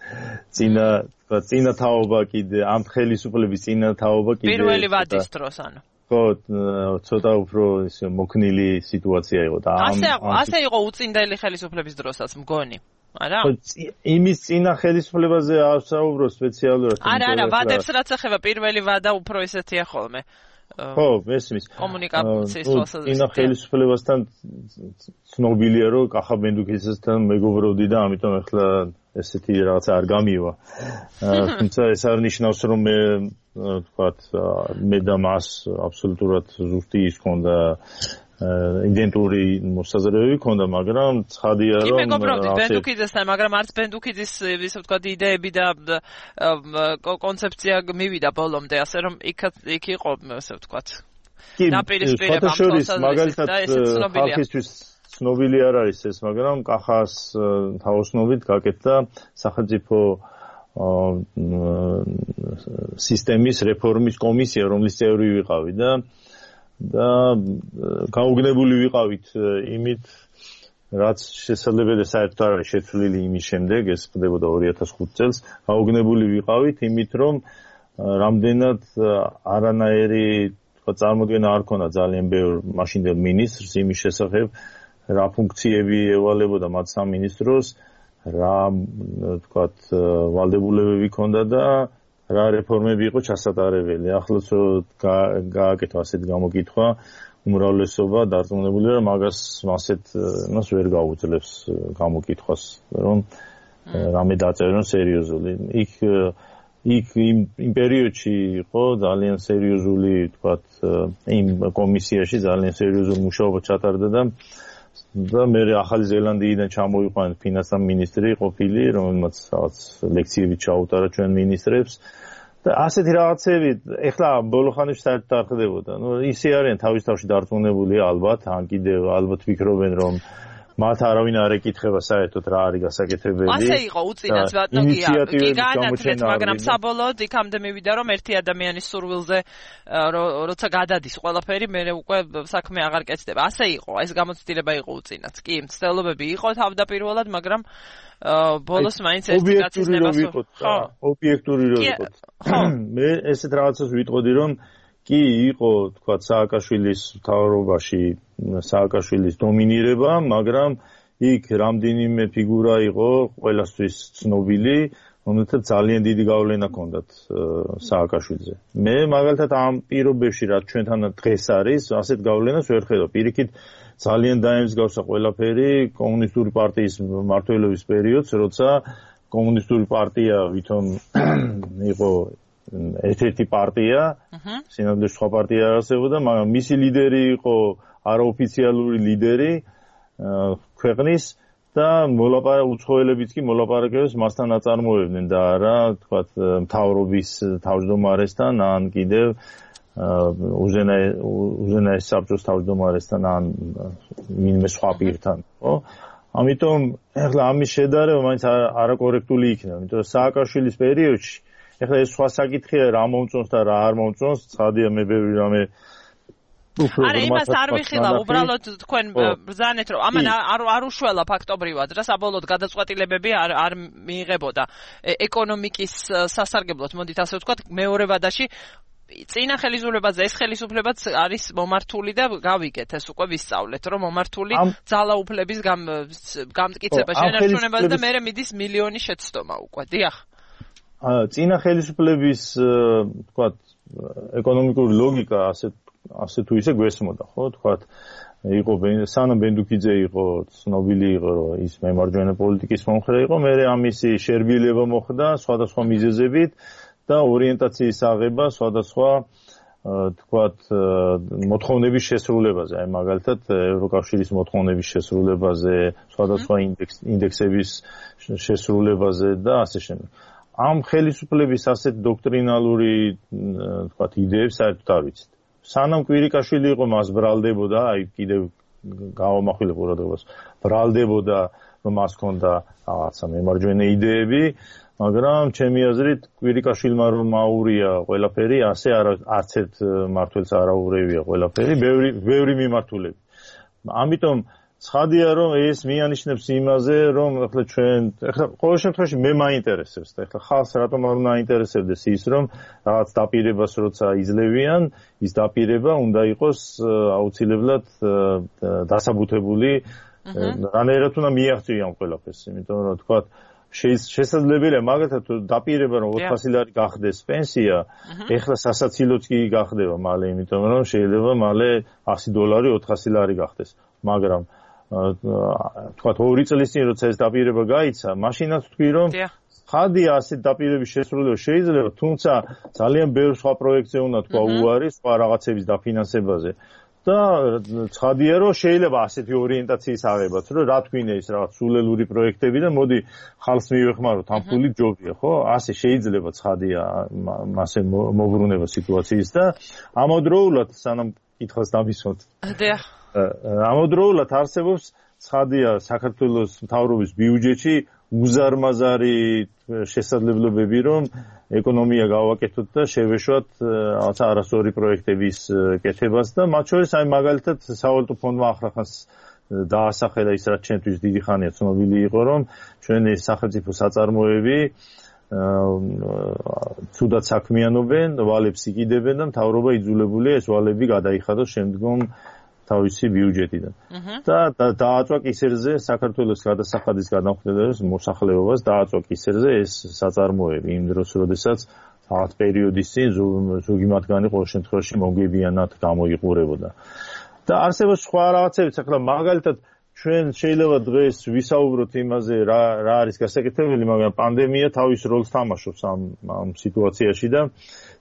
წინა თაობა კიდე ამ ხელისუფლების წინა თაობა კიდე პირველი ვადის დროს ანუ. ხო, ცოტა უფრო მოქნილი სიტუაცია იყო და ასე იყო უწინდელი ხელისუფლების დროსაც მგონი. არა? იმის წინა ხელისუფლებაზე ავსაუბრო სპეციალურად. არა, ვადებს რაც ეხება პირველი ვადა უფრო ისეთია ხოლმე. ხო, მესმის. კომუნიკაციის ხელისუფლებასთან. წინა ხელისუფლებასთან ცნობილია რომ კახა ბენდუქიძესთან მეგობრობდი და ამიტომ ახლა ესეთი რაღაცა არ გამივა. თუმცა ეს არ ნიშნავს რომ მე ვთქვათ მე და მას აბსოლუტურად ზუსტი ის ქონდა იდენტური მოსაზრებები ქონდა, მაგრამ ცხადია რომ კი მეგობრობდით ბენდუქიძესთან, მაგრამ არც ბენდუქიძის ისე ვთქვათ იდეები და კონცეფცია მივიდა ბოლომდე, ასე რომ იქ იყო ესე ვთქვათ. კი, ნაპირისპირება ამ მაგალითად ხალხისთვის ცნობილი არ არის ეს, მაგრამ კახას თავოსნობით გაკეთდა სახელმწიფო სისტემის რეფორმის კომისია, რომლის წევრი ვიყავი და გაუგნებული ვიყავით იმით, რაც შესაძლებელია საერთოდ არ არის შეცვლილი იმის შემდეგ, ეს ხდებოდა 2005 წელს, გაუგნებული ვიყავით იმით, რომ რამდენად არანაირი წარმოდგენა არ ქონდა ძალიან ბევრ მაშინდელ მინისტრს იმის შესახებ, რა ფუნქციები ევალებოდა მათ სამინისტროს, რა ვთქვათ ვალდებულებები ქონდა და რა რეფორმები იყო ჩასატარებელი. ახლაც გააკეთა ასეთ გამოკითხვა, უმრავლესობა დარწმუნებულია, რომ მას ვერ გაუძლებს გამოკითხვას, რომ რამე დაწერონ სერიოზული. იქ იმ პერიოდში იყო ძალიან სერიოზული, ვთქვათ, იმ კომისიაში ძალიან სერიოზული მუშაობა ჩატარდა და მე ახალი ზელანდიიდან ჩამოვიყვანეთ ფინანსთა მინისტრი ყოფილი, რომელმაც რაღაც ლექციები ჩაუტარა ჩვენ მინისტრებს და ასეთი რაღაცები ეხლა ბოლო ხანებში საერთოდ არ ხდებოდა. ისე არიან თავის თავში დარწმუნებული ალბათ, ან კიდევ ალბათ ვფიქრობენ, რომ მათ არავინ არ ეკითხება საერთოდ რა არის გასაკეთებელი. ასე იყო უწინას ბატონო კი განათლეთ, მაგრამ საბოლოოდ იქამდე მივიდა რომ ერთი ადამიანის სურვილზე როცა გადადის ყველაფერი, მე უკვე საქმე აღარ კეთდება. ასე იყო, ეს გამოცდილება იყო უწინაც. კი, მცდელობები იყო თავდაპირველად, მაგრამ ბოლოს მაინც ერთი კაცის ნებას ხო, ობიექტური რო იყოთ. მე ესეთ რაღაცას ვიტყოდი, რომ კი იყო, თქვათ, სააკაშვილის მთავრობაში სააკაშვილის დომინირება, მაგრამ იქ რამდენიმე ფიგურა იყო ყველასთვის ცნობილი, რომელთაც ძალიან დიდი გავლენა ჰქონდათ სააკაშვილზე. მე მაგალითად ამ პირობებში, რაც ჩვენთან დღეს არის, ასეთ გავლენას ვერ ხედავ. პირიქით ძალიან დაემსგავსა ყველაფერი კომუნისტური პარტიის მმართველობის პერიოდს, როცა კომუნისტური პარტია ვითომ იყო ერთ-ერთი პარტია, სინამდვილეში სხვა პარტია არ არსებობდა, მაგრამ მისი ლიდერი იყო არაოფიციალური ლიდერი ქვეყნის და უცხოელებიც კი მოლაპარაკებებს მასთან აწარმოებდნენ და არა, თქვათ, მთავრობის თავმჯდომარესთან, ან კიდევ უზენაეს საბჭოს თავმჯდომარესთან, ან ვინმე სხვა პირთან, ხო? ამიტომ ეხლა ამის შედარება მაინც არაკორექტული იქნება, იმიტომ რომ სააკაშვილის პერიოდში ეხლა ეს სხვა საკითხია რა მომწონს და რა არ მომწონს, ცხადია მე ბევრი რამე არა, იმას არ ვიხილავ, უბრალოდ თქვენ ბრძანეთ, რომ ამან არ უშველა ფაქტობრივად რა საბოლოოდ გადაწყვეტილებები არ მიიღებოდა ეკონომიკის სასარგებლოდ, მოდით ასე ვთქვათ, მეორე ვადაში წინა ხელისუფლებაზე ეს ხელისუფლებაც არის მომართული და გავიგეთ ეს უკვე ვისწავლეთ, რომ მომართული ძალაუფლების გამტკიცება შენარჩუნებაზე და მერე მიდის მილიონი შეცდომა უკვე, დიახ. წინა ხელისუფლების, ვთქვათ, ეკონომიკური ლოგიკა ასე თუ ისე გვესმოდა, ხო, თქვათ, იყო სანამ ბენდუქიძე იყო ცნობილი იყო, რომ ის მემარჯვენე პოლიტიკის მომხრე იყო, მერე ამისი შერბილება მოხდა სხვადასხვა მიზეზებით და ორიენტაციის აღება სხვადასხვა, თქვათ, მოთხოვნების შესრულებაზე, აი მაგალითად ევროკავშირის მოთხოვნების შესრულებაზე, სხვადასხვა ინდექსების შესრულებაზე და ასე შემდეგ. ამ ხელისუფლების ასეთ დოქტრინალური, თქვათ, იდეებს საერთოდ არ ვიცით. სანამ კვირიკაშვილი იყო, მას ბრალდებოდა, აი კიდევ გავამახვილებ ყურადღებას, ბრალდებოდა, რომ მას ჰქონდა რაღაცა მემარჯვენე იდეები, მაგრამ ჩემი აზრით კვირიკაშვილმა რომ აურია ყველაფერი, ასე არც ერთ მმართველს არ აურევია ყველაფერი, ბევრი მიმართულები. ამიტომ ცხადია რომ ეს მიანიშნებს იმაზე, რომ ახლა ჩვენ ყოველ შემთხვევაში მე მაინტერესებს და ახლა ხალხს რატომ არ უნდა აინტერესებდეს ის, რომ რაღაც დაპირებას როცა იძლევიან, ის დაპირება უნდა იყოს აუცილებლად დასაბუთებული რანაირად უნდა მიაღწიო ამ ყველაფერს, იმიტომ რომ თქვა შესაძლებელია მაგალითად დაპირება რომ 400 ლარი გახდეს პენსია, ეხლა სასაცილოც კი გახდება მალე, იმიტომ რომ შეიძლება მალე $100 400 ლარი გახდეს, მაგრამ თქვა 2 წლის წინ როცა ეს დაპირება გაიცა, მაშინაც თქვი რომ ხადია ასეთ დაპირების შესრულება შეიძლება, თუმცა ძალიან ბევრ სხვა პროექტზე უნდა თქვა უარი, სხვა რაღაცების დაფინანსებაზე. და ცხადია რომ შეიძლება ასეთი ორიენტაციის აღებაც, რომ რა თქვინე ის რაღაც სულელური პროექტები და მოდი ხალხს მივეხმაროთ, ამ ფული ჯობია, ხო? ასე შეიძლება ცხადია მასე მოbrunება სიტუაციის და ამავდროულად სანამ კითხვას დამისვათ. ამავდროულად არსებობს ცხადია საქართველოს მთავრობის ბიუჯეტში უზარმაზარი შესაძლებლობები, რომ ეკონომია გავაკეთოთ და შევეშვათ რაღაცა არასწორი პროექტების კეთებას და მათ შორის აი მაგალითად სავალუტო ფონდმა ახლახანს დაასახელა ის რაც ჩვენთვის დიდი ხანია ცნობილი იყო, რომ ჩვენი სახელმწიფო საწარმოები ცუდად საქმიანობენ, ვალებს იკიდებენ და მთავრობა იძულებულია ეს ვალები გადაიხადოს შემდგომ თავისი ბიუჯეტიდან. და დააწვა კისერზე საქართველოს გადასახადის გადამხდელობის მოსახლეობას დააწვა კისერზე ეს საწარმოები იმ დროს, როდესაც რაღაც პერიოდის წინ ზოგი მათგანი ყოველ შემთხვევაში მომგებიანად გამოიყურებოდა. და არსებობს სხვა რაღაცებიც, ახლა მაგალითად ჩვენ შეიძლება დღეს ვისაუბროთ იმაზე რა არის გასაკეთებელი, მაგრამ პანდემია თავის როლს თამაშობს ამ სიტუაციაში და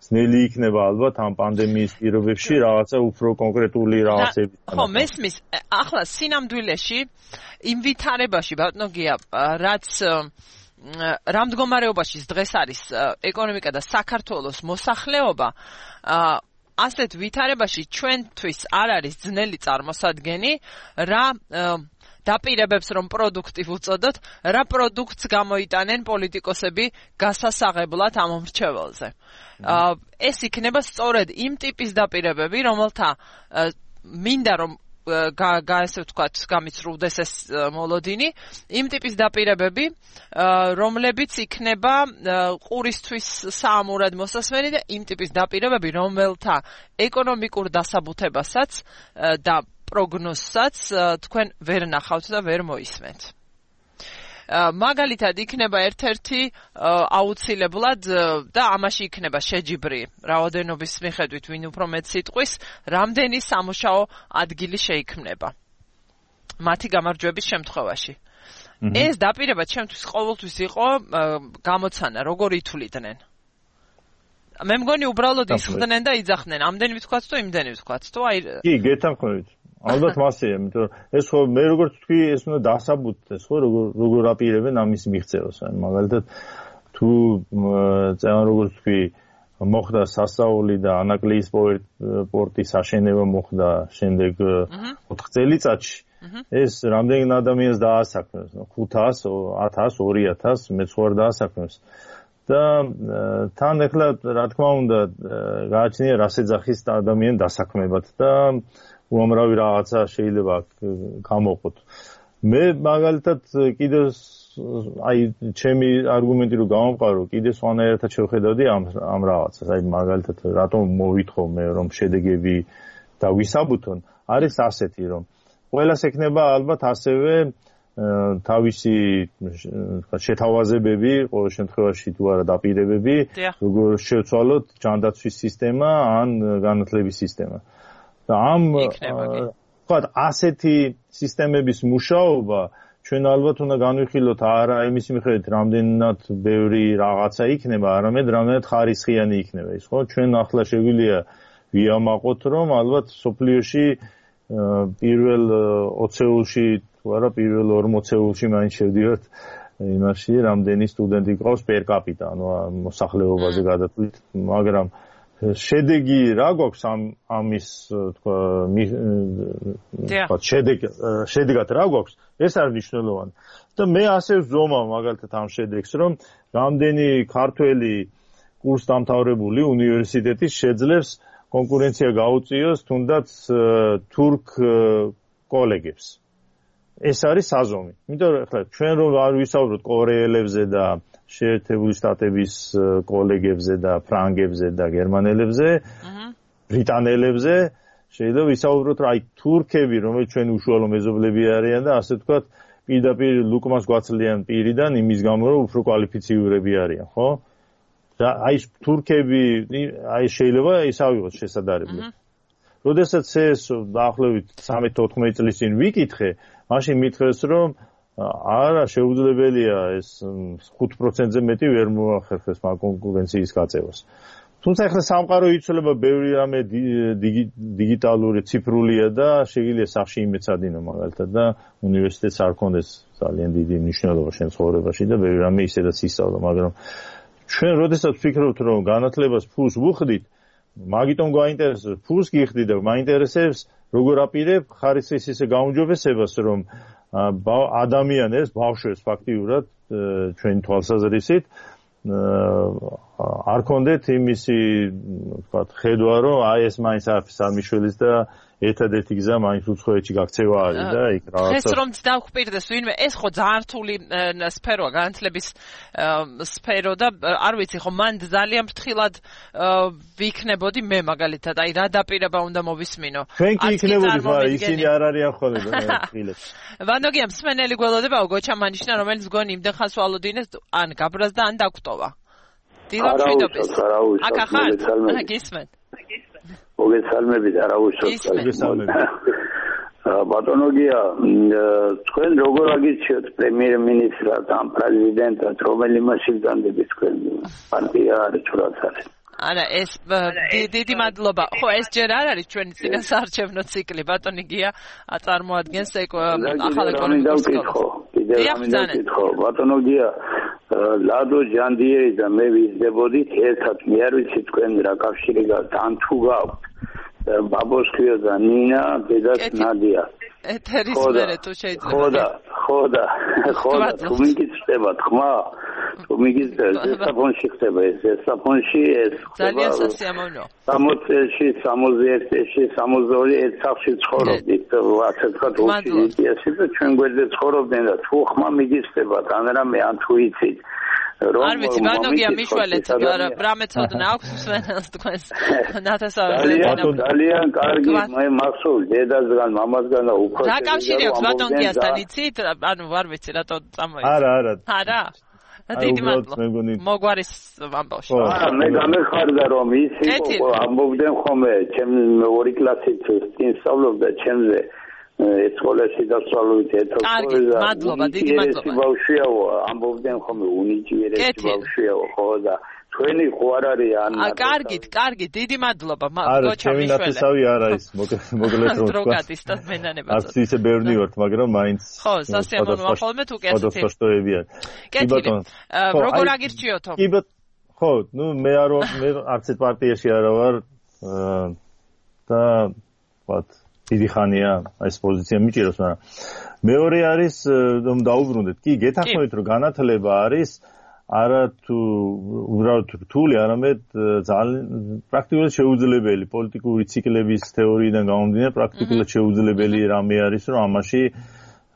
ძნელი იქნება ალბათ ამ პანდემიის პირობებში რაღაცა უფრო კონკრეტული რაღაცები. ხო, მესმის, ახლა სინამდვილეში იმ ვითარებაში ბატონო გია, რაც რა მდგომარეობაში დღეს არის ეკონომიკა და საქართველოს მოსახლეობა, ასეთ ვითარებაში ჩვენთვის არ არის ძნელი წარმოსადგენი რა დაპირებებს რომ პროდუქტი ვუწოდოთ, რა პროდუქტს გამოიტანენ პოლიტიკოსები გასასაღებლად ამ მრჩეველზე. ეს იქნება სწორედ იმ ტიპის დაპირებები, რომელთა მინდა რომ ესე ვთქვათ, გამიცრუდეს ეს მოლოდინი, იმ ტიპის დაპირებები, რომლებიც იქნება ყურისთვის საამურად მოსასმენი და იმ ტიპის დაპირებები, რომელთა ეკონომიკურ დასაბუთებასაც და პროგნოზსაც თქვენ ვერ ნახავთ და ვერ მოისმენთ. მაგალითად იქნება ერთ-ერთი აუცილებლად და ამაში იქნება შეჯიბრი რაოდენობის მიხედვით ვინ უფრო მეტ სიტყვის, რამდენი სამუშაო ადგილი შეიქმნება მათი გამარჯვების შემთხვევაში. ეს დაპირება ჩემთვის ყოველთვის იყო გამოცანა, როგორ ითვლიდნენ. მე მგონი უბრალოდ ისხდნენ და იძახდნენ, ამდენი ვთქვათ თუ იმდენი ვთქვათ თუ აი კი, გეთანხმებით. ალბათ მასეა, იმიტომ რომ ეს ხო მე როგორც თქვი, ეს უნდა დასაბუთდეს, ხო, როგორ აპირებენ ამის მიღწევას. მაგალითად, თუ წევან როგორც თქვი, მოხდა სასწაული და ანაკლიის პორტის აშენება მოხდა შემდეგ 4 წელიწადში, ეს რამდენი ადამიანს დაასაქმებს? 500, 1000, 2000, მეც ხوار დაასაქმებს. და თან ახლა რა თქმა უნდა გააჩნია რას ეძახის ადამიანი დასაქმებად და უამრავი რაღაცა შეიძლება გამოყოთ. მე მაგალითად კიდევ აი ჩემი არგუმენტი რომ გამომყარო, კიდევ სხვანაირად შევხედავდი ამ რაღაცას. აი მაგალითად რატომ მოვითხოვ მე რომ შედეგები დავისაბუთონ, არის ასეთი რომ ყველას ექნება ალბათ ასევე თავისი შეთავაზებები, ყოველ შემთხვევაში თუ არა დაპირებები, როგორ შევცვალოთ ჯანდაცვის სისტემა ან განათლების სისტემა. და ამ ვთქვათ, ასეთი სისტემების მუშაობა ჩვენ ალბათ უნდა განვიხილოთ არა იმის მიხედვით, რამდენად ბევრი რაღაცა იქნება, არამედ რამდენად ხარისხიანი იქნება ის, ხო? ჩვენ ახლა შეგვიძლია ვიამაყოთ, რომ ალბათ სოფლიოში პირველ 20-ეულში თუ არა პირველ 40-ეულში მაინც შევდივართ იმაში, რამდენი სტუდენტი ყავს per capita, ანუ მოსახლეობაზე გადათვლით, მაგრამ შედეგი რა გვაქვს ამის თქვა შედეგად რა გვაქვს, ეს არის მნიშვნელოვანი. და მე ასე ვზომავ მაგალითად ამ შედეგს, რომ რამდენი ქართველი კურსდამთავრებული უნივერსიტეტის შეძლებს კონკურენცია გაუწიოს თუნდაც თურქ კოლეგებს. ეს არის საზომი. იმიტომ რომ ახლა ჩვენ რომ არ ვისაუბროთ კორეელებზე და შეერთებული შტატების კოლეგებზე და ფრანგებზე და გერმანელებზე, ბრიტანელებზე, შეიძლება ვისაუბროთ რა აი თურქები რომელიც ჩვენი უშუალო მეზობლები არიან და ასე ვთქვათ პირდაპირ ლუკმას გვაცლიან პირიდან იმის გამო რომ უფრო კვალიფიციურები არიან ხო და აი თურქები აი შეიძლება ისავიღოს შესაძლებელი როდესაც ეს დაახლოებით 13-14 წლის წინ ვიკითხე მაშინ მითხრეს რომ არა შეუძლებელია ეს 5%-ზე მეტი ვერ მოახერხეს მაგ კონკურენციის გაწევას თუმცა ახლა სამყარო იცვლება ბევრი რამე დიგიტალური ციფრულია და შეიძლება სახში იმეცადინო მაგალითად და უნივერსიტეტს არ კონდეს ძალიან დიდი მნიშვნელობა შენ ცხოვრებაში და ბევრი რამე ისედაც ისწავლა მაგრამ ჩვენ როდესაც ვფიქრობთ რომ განათლებას ფულს ვუხდით მაგიტომ გვაინტერესებს ფულს გიხდი და მაინტერესებს როგორ აპირებ ხარისხის ისე გაუმჯობესებას რომ ადამიანებს ბავშვებს ფაქტიურად ჩვენი თვალსაზრისით არ კონდეთ იმისი ვთქვათ ხედვა რომ აი ეს მაინც არაფერს არ მიშველის და ერთადერთი გზა მაინც უცხოეთში გაქცევა არის და იქ რაღაცა ეს რომ დავხვპირდეს ვინმე ეს ხო ძალიან რთული სფეროა განათლების სფერო და არ ვიცი ხო მან ძალიან ფრთხილად ვიქნებოდი მე მაგალითად აი რა დაპირება უნდა მოვისმინო ჩვენ კი იქნებოდით მაგრამ ისინი არ არიან ხოლმე ფრთხილად ვანოგია მსმენელი გველოდებაო გოჩამანიშნა რომელიც გონი იმდენ ხანს ვალოდინეს ან გაბრაზდა ან დაგვტოვა დილა მშვიდობის აკა ხარ გისმენთ მოგესალმებით არავისოთ ბატონოგია თქვენ როგორ აგირჩიოთ პრემიერ-მინისტრად ან პრეზიდენტად რომელი მასშტაბები თქვენ პარტია არის თუ რაც არის არა ეს დიდი მადლობა ხო ეს ჯერ არ არის ჩვენი წინასაარჩევნო ციკლი ბატონიგია აწარმოადგენს ახალ ეკონომიკურ სკოლას ბატონოგია ლადო ჯანდიერი და მე ვიზრდებოდით ერთად მე არ ვიცი თქვენ რა კავშირი გაქვთ ან თუ გაქვთ ბაბოს ქვია და ნინა დედას ნადია ეთერის მერე თუ შეიძლება ხო და თუ მიგიწევთ ხმა თუ მიგიწევთ ზესაფონში ხდება ეს ზესაფონში ეს ძალიან სასიამოვნო 60 წელში 61 წელში 62 ერთ სახლში ცხოვრობდით ასე თქვა უსილიესი და ჩვენ გვერდზე ცხოვრობდნენ და თუ ხმა მიგიწევთ ან რამე ან თუ იცით არ ვიცი ბანოგია მიშველეთ რა მეცოდნა აქვს მსმენელს თქვენს ნათესავებზე ძალიან კარგი მე მახსოვს დედასგან მამასგან და უფრო რა კავშირი აქვს ბატონგიასთან იცით ანუ არ ვიცი რატო წამოიწყო არა დიდი მადლობა მოგვარის ამბავში მე გამეხარდა რომ ისი ამბობდნენ ხოლმე ჩემ ორი კლასით სწავლობდა ჩემზე სკოლაში დასწავლით კარგი მადლობა დიდი მადლობა ბავშვიაო ამბობდნენ ხოლმე უნიჭიერესი ბავშვიაო ხო და თქვენი ხო არ არის ან კარგი დიდი მადლობა გოჩა მიშველე არა ნათესავი არა ის მოკლედ რომ დროგატისტად მენანებად არც ისე ბევრი ვართ მაგრამ მაინც ხო სასიამოვნოა ხოლმე თუ კი ასეთი ფოსტოებია კეთილი როგორ აგირჩიოთო კი ხო ნუ მე არც ერთ პარტიაში არა ვარ და ვთქვათ დიდი ხანია ეს პოზიცია მიჭიროს მაგრამ მეორე არის რომ დაუბრუნდეთ კი გეთანხმებით რომ განათლება არის არა თუ უბრალოდ რთული არამედ ძალიან პრაქტიკულად შეუძლებელი პოლიტიკური ციკლების თეორიიდან გამომდინარე პრაქტიკულად შეუძლებელი რამე არის რომ ამაში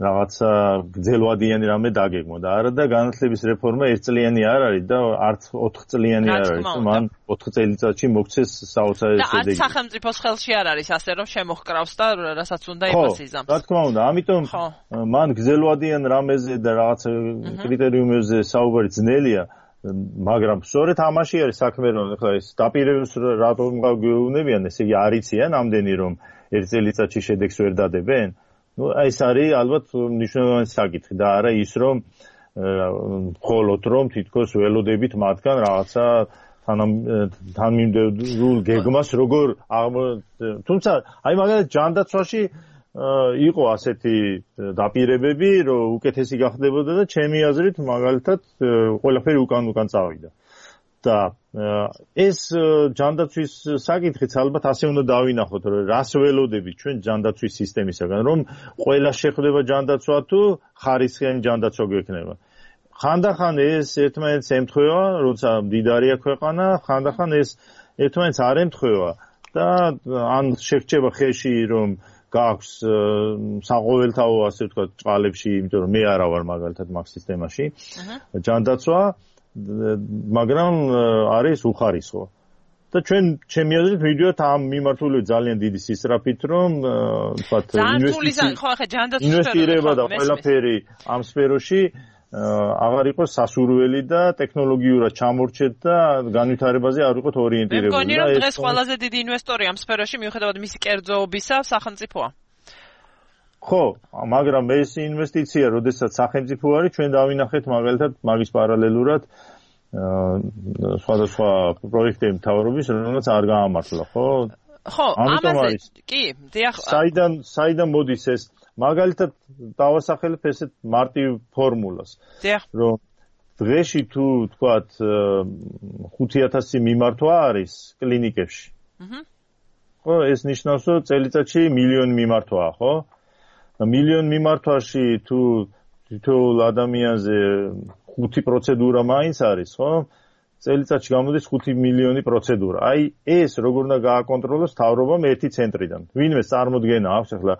რაღაცა გრძელვადიანი რამე დაგეგმო და არა და განათლების რეფორმა ერთწლიანი არ არის და არც 4 წლიანი არ არის მან 4 წელიწადში მოგცეს საოცარი შედეგი და სახელმწიფოს ხელში არ არის ასე რომ შემოჰკრავს და რასაც უნდა იმას იზამს რა თქმა უნდა ამიტომ მან გრძელვადიან რამეზე და რაღაცა კრიტერიუმებზე საუბარი ძნელია მაგრამ სწორედ ამაში არის საქმე რომ ახლა ეს დაპირებებს რატომ გეუბნებიან ესე იგი არიციან ამდენი რომ ერთ წელიწადში შედეგს ვერ დადებენ ну ეს არის ალბათ მნიშვნელოვანი საკითხი და არა ის რომ მხოლოდ რომ თითქოს ველოდებით მათგან რაღაცა თანმიმდევრულ გეგმას როგორ თუმცა აი მაგალითად ჯანდაცვაში იყო ასეთი დაპირებები რომ უკეთესი გახდებოდა და ჩემი აზრით მაგალითად ყველაფერი უკან წავიდა და ეს ჯანდაცვის საკითხიც ალბათ ასე უნდა დავინახოთ რომ რას ველოდებით ჩვენ ჯანდაცვის სისტემისაგან რომ ყველა შეხვდება ჯანდაცვა თუ ხარისხიანი ჯანდაცვა გვექნება ხანდახან ეს ერთმანეთს ემთხვევა როცა მდიდარია ქვეყანა ხანდახან ეს ერთმანეთს არ ემთხვევა და ან შეგვჭება ხელში რომ გაქვს საყოველთაო ასე ვთქვათ წყალებში იმიტომ რომ მე არა ვარ მაგალითად მაგ სისტემაში ჯანდაცვა მაგრამ არის უხარისხო და ჩვენ ჩემი აზრით მივიდივართ ამ მიმართულებით ძალიან დიდი სისწრაფით, რომ თქვათ ინვესტირება და ყველაფერი ამ სფეროში აღარ იყოს სასურველი და ტექნოლოგიურად ჩამორჩეთ და განვითარებაზე არ იყოს ორიენტირებული. მე მგონი, რომ დღეს ყველაზე დიდი ინვესტორი ამ სფეროში მიუხედავად მისი კერძოობისა სახელმწიფოა. ხო, მაგრამ ეს ინვესტიცია, როდესაც სახელმწიფო არის, ჩვენ დავინახეთ მაგალითად მაგის პარალელურად სხვადასხვა პროექტების მთავრობის, რომელსაც არ გაამართლა, ხო? ხო, ამაზე კი, დიახ. საიდან მოდის ეს? მაგალითად დავასახელებ ესეთ მარტივ ფორმულას. დიახ. რომ დღეში თუ თქვათ 5000 მიმართვა არის კლინიკებში. ხო, ეს ნიშნავს, რომ წელიწადში მილიონი მიმართვაა, ხო? მილიონ მიმართვაში თუ თითოეულ ადამიანზე 5 პროცედურა მაინც არის, ხო? წელიწადში გამოდის 5 მილიონი პროცედურა. აი ეს როგორ უნდა გააკონტროლოს მთავრობამ ერთი ცენტრიდან. ვინმეს წარმოდგენა აქვს ახლა,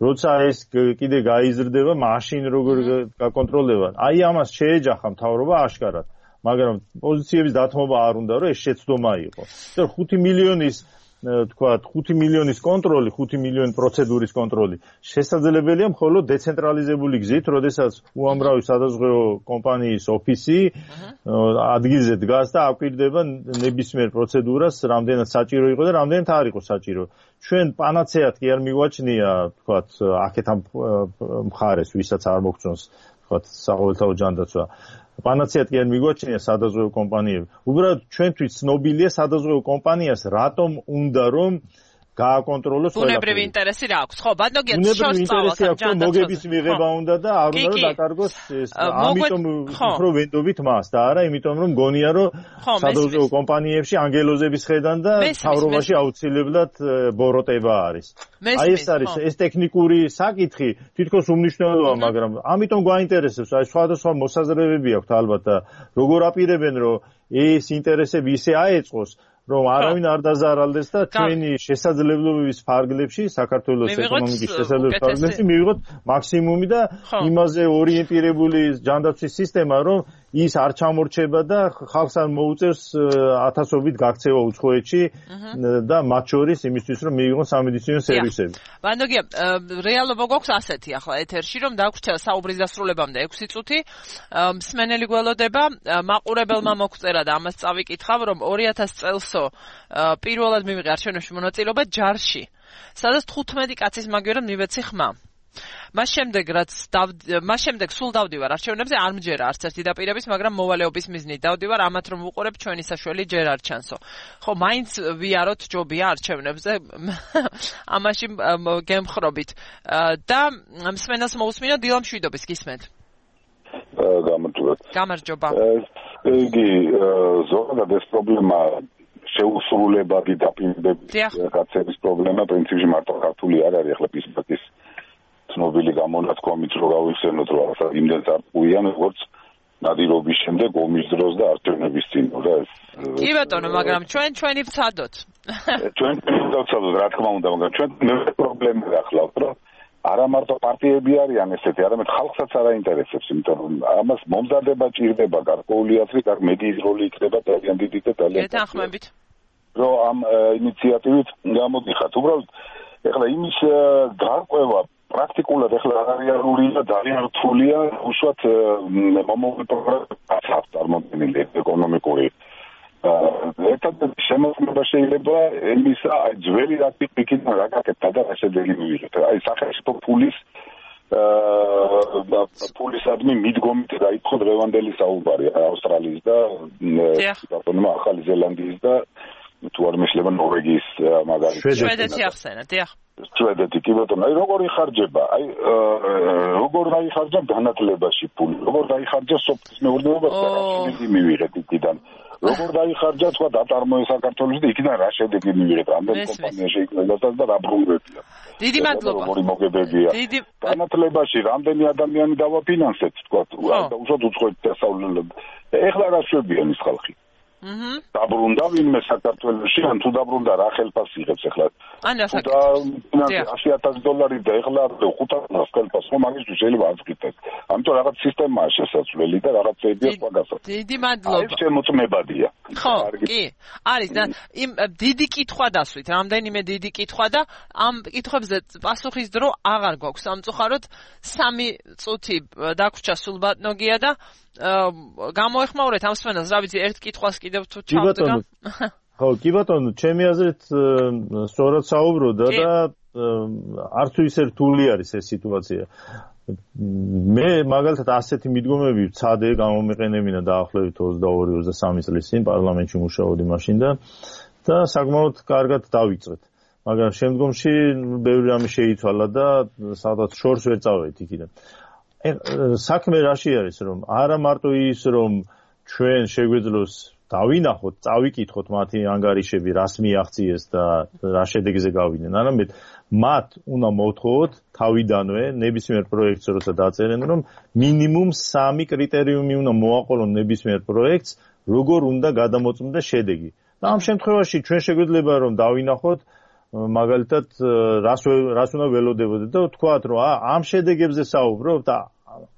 როცა ეს კიდე გაიზრდება, მაშინ როგორ გაკონტროლდება. აი ამას შეეჯახა მთავრობა აშკარად. მაგრამ პოზიციების დათმობა არ უნდა, რომ ეს შეცდომა იყო. 5 მილიონის თქვათ 5 მილიონის კონტროლი, 5 მილიონი პროცედურის კონტროლი შესაძლებელია მხოლოდ დეცენტრალიზებული გზით, როდესაც უამრავი სადაზღვევო კომპანიის ოფისი ადგილზე დგას და აკვირდება ნებისმიერ პროცედურას, რამდენად საჭირო იყო და რამდენად არ იყო საჭირო. ჩვენ პანაცეად კი არ მიგვაჩნია, თქვათ, აქეთ ამ მხარეს, ვისაც არ მოგწონს, თქვათ, საყოველთაო ჯანდაცვა. პანაცეად კი არ მიგვაჩნია სადაზღვევო კომპანიები. უბრალოდ ჩვენთვის ცნობილია სადაზღვევო კომპანიას რატომ უნდა რომ გააკონტროლოს ყველაფერი. ბუნებრივი ინტერესი რა აქვს? ხო, ბატონო, ბუნებრივი ინტერესი აქვს, რომ მოგების მიღება უნდა და არ უნდა რომ დაკარგოს ეს. ამიტომ უფრო ვენდობით მას და არა იმიტომ რომ გონია რომ სადაზღვევო კომპანიებში ანგელოზების ხედან და მთავრობაში აუცილებლად ბოროტება არის. აი ეს არის ეს ტექნიკური საკითხი, თითქოს უმნიშვნელოა, მაგრამ ამიტომ გვაინტერესებს, აი სხვადასხვა მოსაზრებები აქვს ალბათ და როგორ აპირებენ რომ ეს ინტერესები ისე აეწყოს, რომ არავინ არ დაზარალდეს და ჩვენი შესაძლებლობების ფარგლებში, საქართველოს ეკონომიკის შესაძლებლობების ფარგლებში მივიღოთ მაქსიმუმი და იმაზე ორიენტირებული ჯანდაცვის სისტემა, რომ ის არ ჩამორჩება და ხალხს არ მოუწევს ათასობით გაქცევა უცხოეთში და მათ შორის იმისთვის, რომ მიიღონ სამედიცინო სერვისები. ბანდოგია, რეალობა გვაქვს ასეთი ახლა ეთერში, რომ დაგვრჩა საუბრის დასრულებამდე 6 წუთი. მსმენელი გველოდება, მაყურებელმა მოგწერა და ამას წავიკითხავ, რომ 2000 წელსო პირველად მივიღე არჩევნებში მონაწილეობა ჯარში, სადაც 15 კაცის მაგივრად მივეცი ხმა. მას შემდეგ სულ დავდივარ არჩევნებზე, არ მჯერა არც ერთი დაპირების, მაგრამ მოვალეობის მიზნით დავდივარ, ამათ რომ ვუყურებ ჩვენი საშველი ჯერ არ ჩანსო. ხო, მაინც ვიაროთ ჯობია არჩევნებზე, ამაში გემხრობით. და მსმენელს მოусმინო დილა მშვიდობის გისმენთ. გამარჯობა. იგი ზოგადად ეს პრობლემა შეუსრულებადი დაპირებების გაცემის პრობლემა პრინციპში მარტო ქართული არ არის, ახლა პისპაკის ცნობილი გამონათქვამით რო გავიხსენოთ, რომ ახლა იმდენს არ პუიან, როგორც ნადირობის შემდეგ ომის დროს და არჩევნების წინ, რა ეს. კი ბატონო, მაგრამ ჩვენი ვცადოთ. ჩვენ ვცადოთ, რა თქმა უნდა, მაგრამ ჩვენ პრობლემა გახლავთ, რომ არა მარტო პარტიები არიან ესეთი, არამედ ხალხსაც არ აინტერესებს, იმიტომ რომ ამას მომზადება ჭირდება გარკვეული აზრი, მედიის როლი იქნება ძალიან დიდი და ძალიან გეთანხმებით. რომ ამ ინიციატივით გამოდიხართ. უბრალოდ ეხლა იმის გარკვევა პრაქტიკულად ეხლა რეალურია და ძალიან რთულია, უშუალოდ მომავალ პროგრამას აქვს წარმოქმნილი ეკონომიკური. ერთადერთი შემოქმედება შეიძლება იმისა, აი ძველი რაკეტიდან რაკეტთა და რასედელი მივიღეთ. აი სახელმწიფო ფულისადმი მიდგომით დაიწყო დღევანდელი საუბარი ავსტრალიის და ბატონმა ახალი ზელანდიის და თუ არ მეშლება ნორვეგიის მაგალითად. შვედეთი ახსენა, დიახ. შვედეთი კი ბატონო, აი როგორ იხარჯება? აი როგორ დაიხარჯა განათლებაში ფული? როგორ დაიხარჯა სოფლის მეურნეობაში? რა მივიღეთ იქიდან? როგორ დაიხარჯა სხვა დაწარმოება საქართველოს და იქიდან რა შედეგი მივიღეთ? რამდენი კომპანია შეიქმნა და რა ბრუნვებია? დიდი მადლობა. როგორი მოგებებია? განათლებაში რამდენი ადამიანი დავაფინანსეთ, თქვა, უშუალოდ უცხოეთში დასავლელად. ეხლა რა შვებიან ის ხალხი? დაბრუნდა ვინმე საქართველოში, ან თუ დაბრუნდა რა ხელფასი იღებს ახლა? ანუ $100,000 და ახლა $500 ხელფასს რომ მაგისთვის შეიძლება აღწყვიტოს. ამიტომ რაღაც სისტემაა შესაძლებელი და რაღაცებია სხვა გასაგებია. დიდი მადლობა. ეს შემოწმებადია. ხო, კი. არის და იმ დიდი კითხვა დასვით, რამდენიმე დიდი კითხვა და ამ კითხვებზე პასუხის დრო აღარ გვაქვს. სამწუხაროდ 3 წუთი დაგვრჩა სულ ბატონოგია და გამოეხმაურეთ ამ სვენას, რა ვიცი, ერთ კითხვას კიდევ თუ ჩავდგა. ხო, კი ბატონო, ჩემი აზრით სწორად საუბრობდა და არც თუ ისე რთული არის ეს სიტუაცია. მე მაგალითად ასეთი მიდგომები ვცადე გამომეყენებინა დაახლოებით 22-23 წლის წინ პარლამენტში მუშაობდი მაშინ და საკმაოდ კარგად დავიწყეთ. მაგრამ შემდგომში ბევრი რამე შეიცვალა და სადღაც შორს ვერ წავედით იქიდან. საქმე რაში არის, რომ არა მარტო ის, რომ ჩვენ შეგვეძლოს დავინახოთ, წავიკითხოთ მათი ანგარიშები, რას მიაღწიეს და რა შედეგზე გავიდნენ. არამედ მათ უნდა მოვთხოვოთ თავიდანვე ნებისმიერ პროექტს როცა დაწერენ, რომ მინიმუმ 3 კრიტერიუმი უნდა მოაყოლონ ნებისმიერ პროექტს, როგორ უნდა გადამოწმდეს შედეგი. და ამ შემთხვევაში ჩვენ შეგვიძლია რომ დავინახოთ მაგალითად რას უნდა ველოდებოდეთ და ვთქვათ რომ ამ შედეგებზე საუბრობ და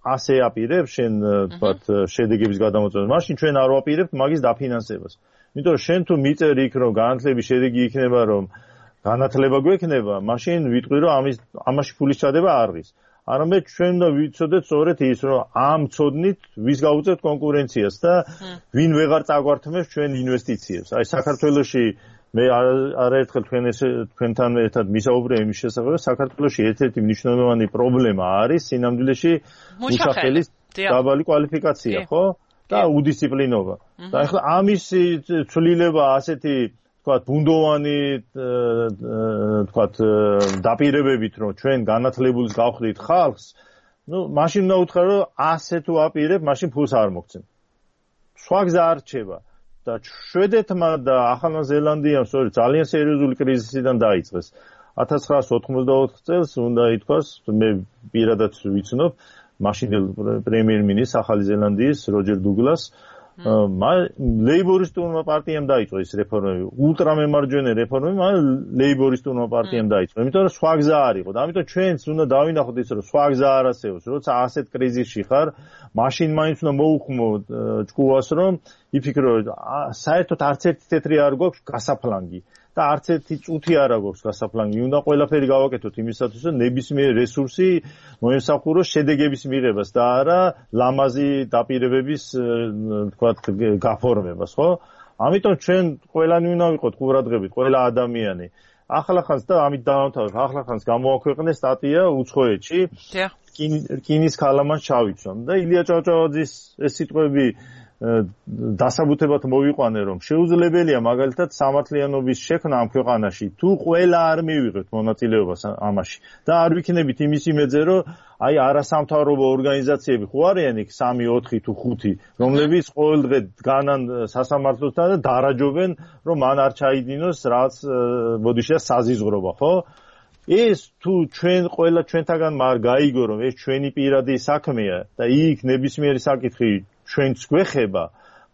ასე აპირებ შენ თქვათ შედეგების გადამოწმებას. მაშინ ჩვენ არ ვაპირებთ მაგის დაფინანსებას. იმიტომ რომ შენ თუ მიწერ იქ რომ განათლების შედეგი იქნება რომ განათლება გვექნება, მაშინ ვიტყვი რომ ამაში ფულის ჩადება არ ღირს. არამედ ჩვენ უნდა ვიცოდეთ სწორედ ის რომ ამ ცოდნით ვის გავუწევთ კონკურენციას და ვინ ვეღარ წაგვართმევს ჩვენ ინვესტიციებს. აი საქართველოში მე არაერთხელ თქვენთან ერთად მისაუბრე იმის შესახებ, საქართველოში ერთ-ერთი მნიშვნელოვანი პრობლემა არის სინამდვილეში მუშახელის დაბალი კვალიფიკაცია, ხო? და უდისციპლინობა. და ახლა ამის ცვლილება ასეთი თქვათ ბუნდოვანი თქვათ დაპირებებით რომ ჩვენ განათლებულს გავხდით ხალხს, მაშინ უნდა უთხრა რომ ასე თუ აპირებ, მაშინ ფულს არ მოგცემ. სხვა გზა არ რჩება. და შვედეთმა და ახალ ზელანდიამ სწორედ ძალიან სერიოზული კრიზისიდან დაიწყეს. 1984 წელს უნდა ითქვას, მე პირადად ვიცნობ, მაშინდელ პრემიერ-მინისტრს ახალი ზელანდიის როჯერ დუგლას, ლეიბორისტულმა პარტიამ დაიწყო ეს რეფორმები, ულტრამემარჯვენე რეფორმები, ლეიბორისტულმა პარტიამ დაიწყო. იმიტომ რომ სხვა გზა არ იყო. და ამიტომ ჩვენც უნდა დავინახოთ ის რომ სხვა გზა არ არსებობს. როცა ასეთ კრიზისში ხარ, მაშინ მაინც უნდა მოუხმო ჭკუას რომ იფიქრო საერთოდ არც ერთი თეთრი არ გვაქვს გასაფლანგი და არც ერთი წუთი არ გვაქვს გასაფლანგი. უნდა ყველაფერი გავაკეთოთ იმისათვის რომ ნებისმიერ რესურსი მოემსახუროს შედეგების მიღებას და არა ლამაზი დაპირებების თქვათ გაფორმებას, ხო? ამიტომ ჩვენ ყველანი უნდა ვიყოთ ყურადღებით, ყველა ადამიანი. ახლახანს და ამით დავამთავრებ, ახლახანს გამოაქვეყნეს სტატია უცხოეთში. რკინის ქალამანს ჩავიცვამ და ილია ჭავჭავაძის ეს სიტყვები დასაბუთებად მოვიყვანე რომ შეუძლებელია მაგალითად სამართლიანობის შექმნა ამ ქვეყანაში თუ ყველა არ მივიღებთ მონაწილეობას ამაში და არ ვიქნებით იმის იმედზე რომ აი არასამთავრობო ორგანიზაციები ხო არიან იქ 3, 4 თუ 5 რომლებიც ყოველდღე დგანან სასამართლოსთან და დარაჯობენ რომ მან არ ჩაიდინოს რაც ბოდიშია საზიზღრობა ხო ეს თუ ჩვენ ყველა ჩვენთაგან არ გაიგო რომ ეს ჩვენი პირადი საქმეა და იქ ნებისმიერი საკითხი ჩვენც გვეხება,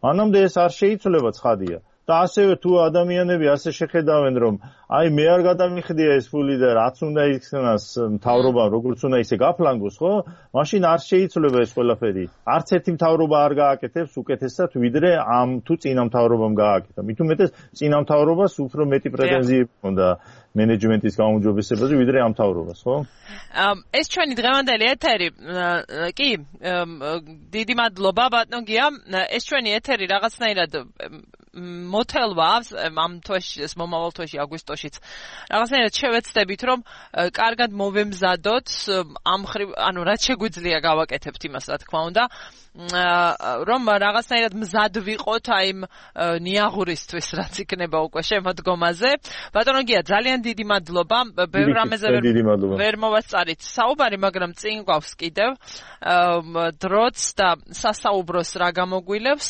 მანამდე ეს არ შეიცვლება ცხადია. და ასევე თუ ადამიანები ასე შეხედავენ, რომ აი მე არ გადამიხდია ეს ფული და რაც უნდა იქნას მთავრობამ, როგორც უნდა ისე გაფლანგოს, ხო? მაშინ არ შეიცვლება ეს ყველაფერი. არც ერთი მთავრობა არ გააკეთებს უკეთესად, ვიდრე ამ თუ წინა მთავრობამ გააკეთა. მით უმეტეს წინა მთავრობას უფრო მეტი პრეტენზიები ჰქონდა მენეჯმენტის გაუმჯობესებაზე, ვიდრე ამ მთავრობას, ხო? ეს ჩვენი დღევანდელი ეთერი, კი, დიდი მადლობა ბატონო გია. ეს ჩვენი ეთერი რაღაცნაირად მოთელვა ამ თვეში, ეს მომავალ თვეში აგვისტოშიც რაღაცნაირად შევეცდებით რომ კარგად მოვემზადოთ ამ ანუ რაც შეგვიძლია გავაკეთებთ იმას რა თქმა უნდა რომ რაღაცნაირად მზად ვიყოთ აი იმ ნიაღურისთვის რაც იქნება უკვე შემოდგომაზე. ბატონო გია ძალიან დიდი მადლობა. ბევრ რამეზე ვერ მოვასწარით საუბარი, მაგრამ წინ გვაქვს კიდევ დროც და სასაუბროს რა გამოგვილევს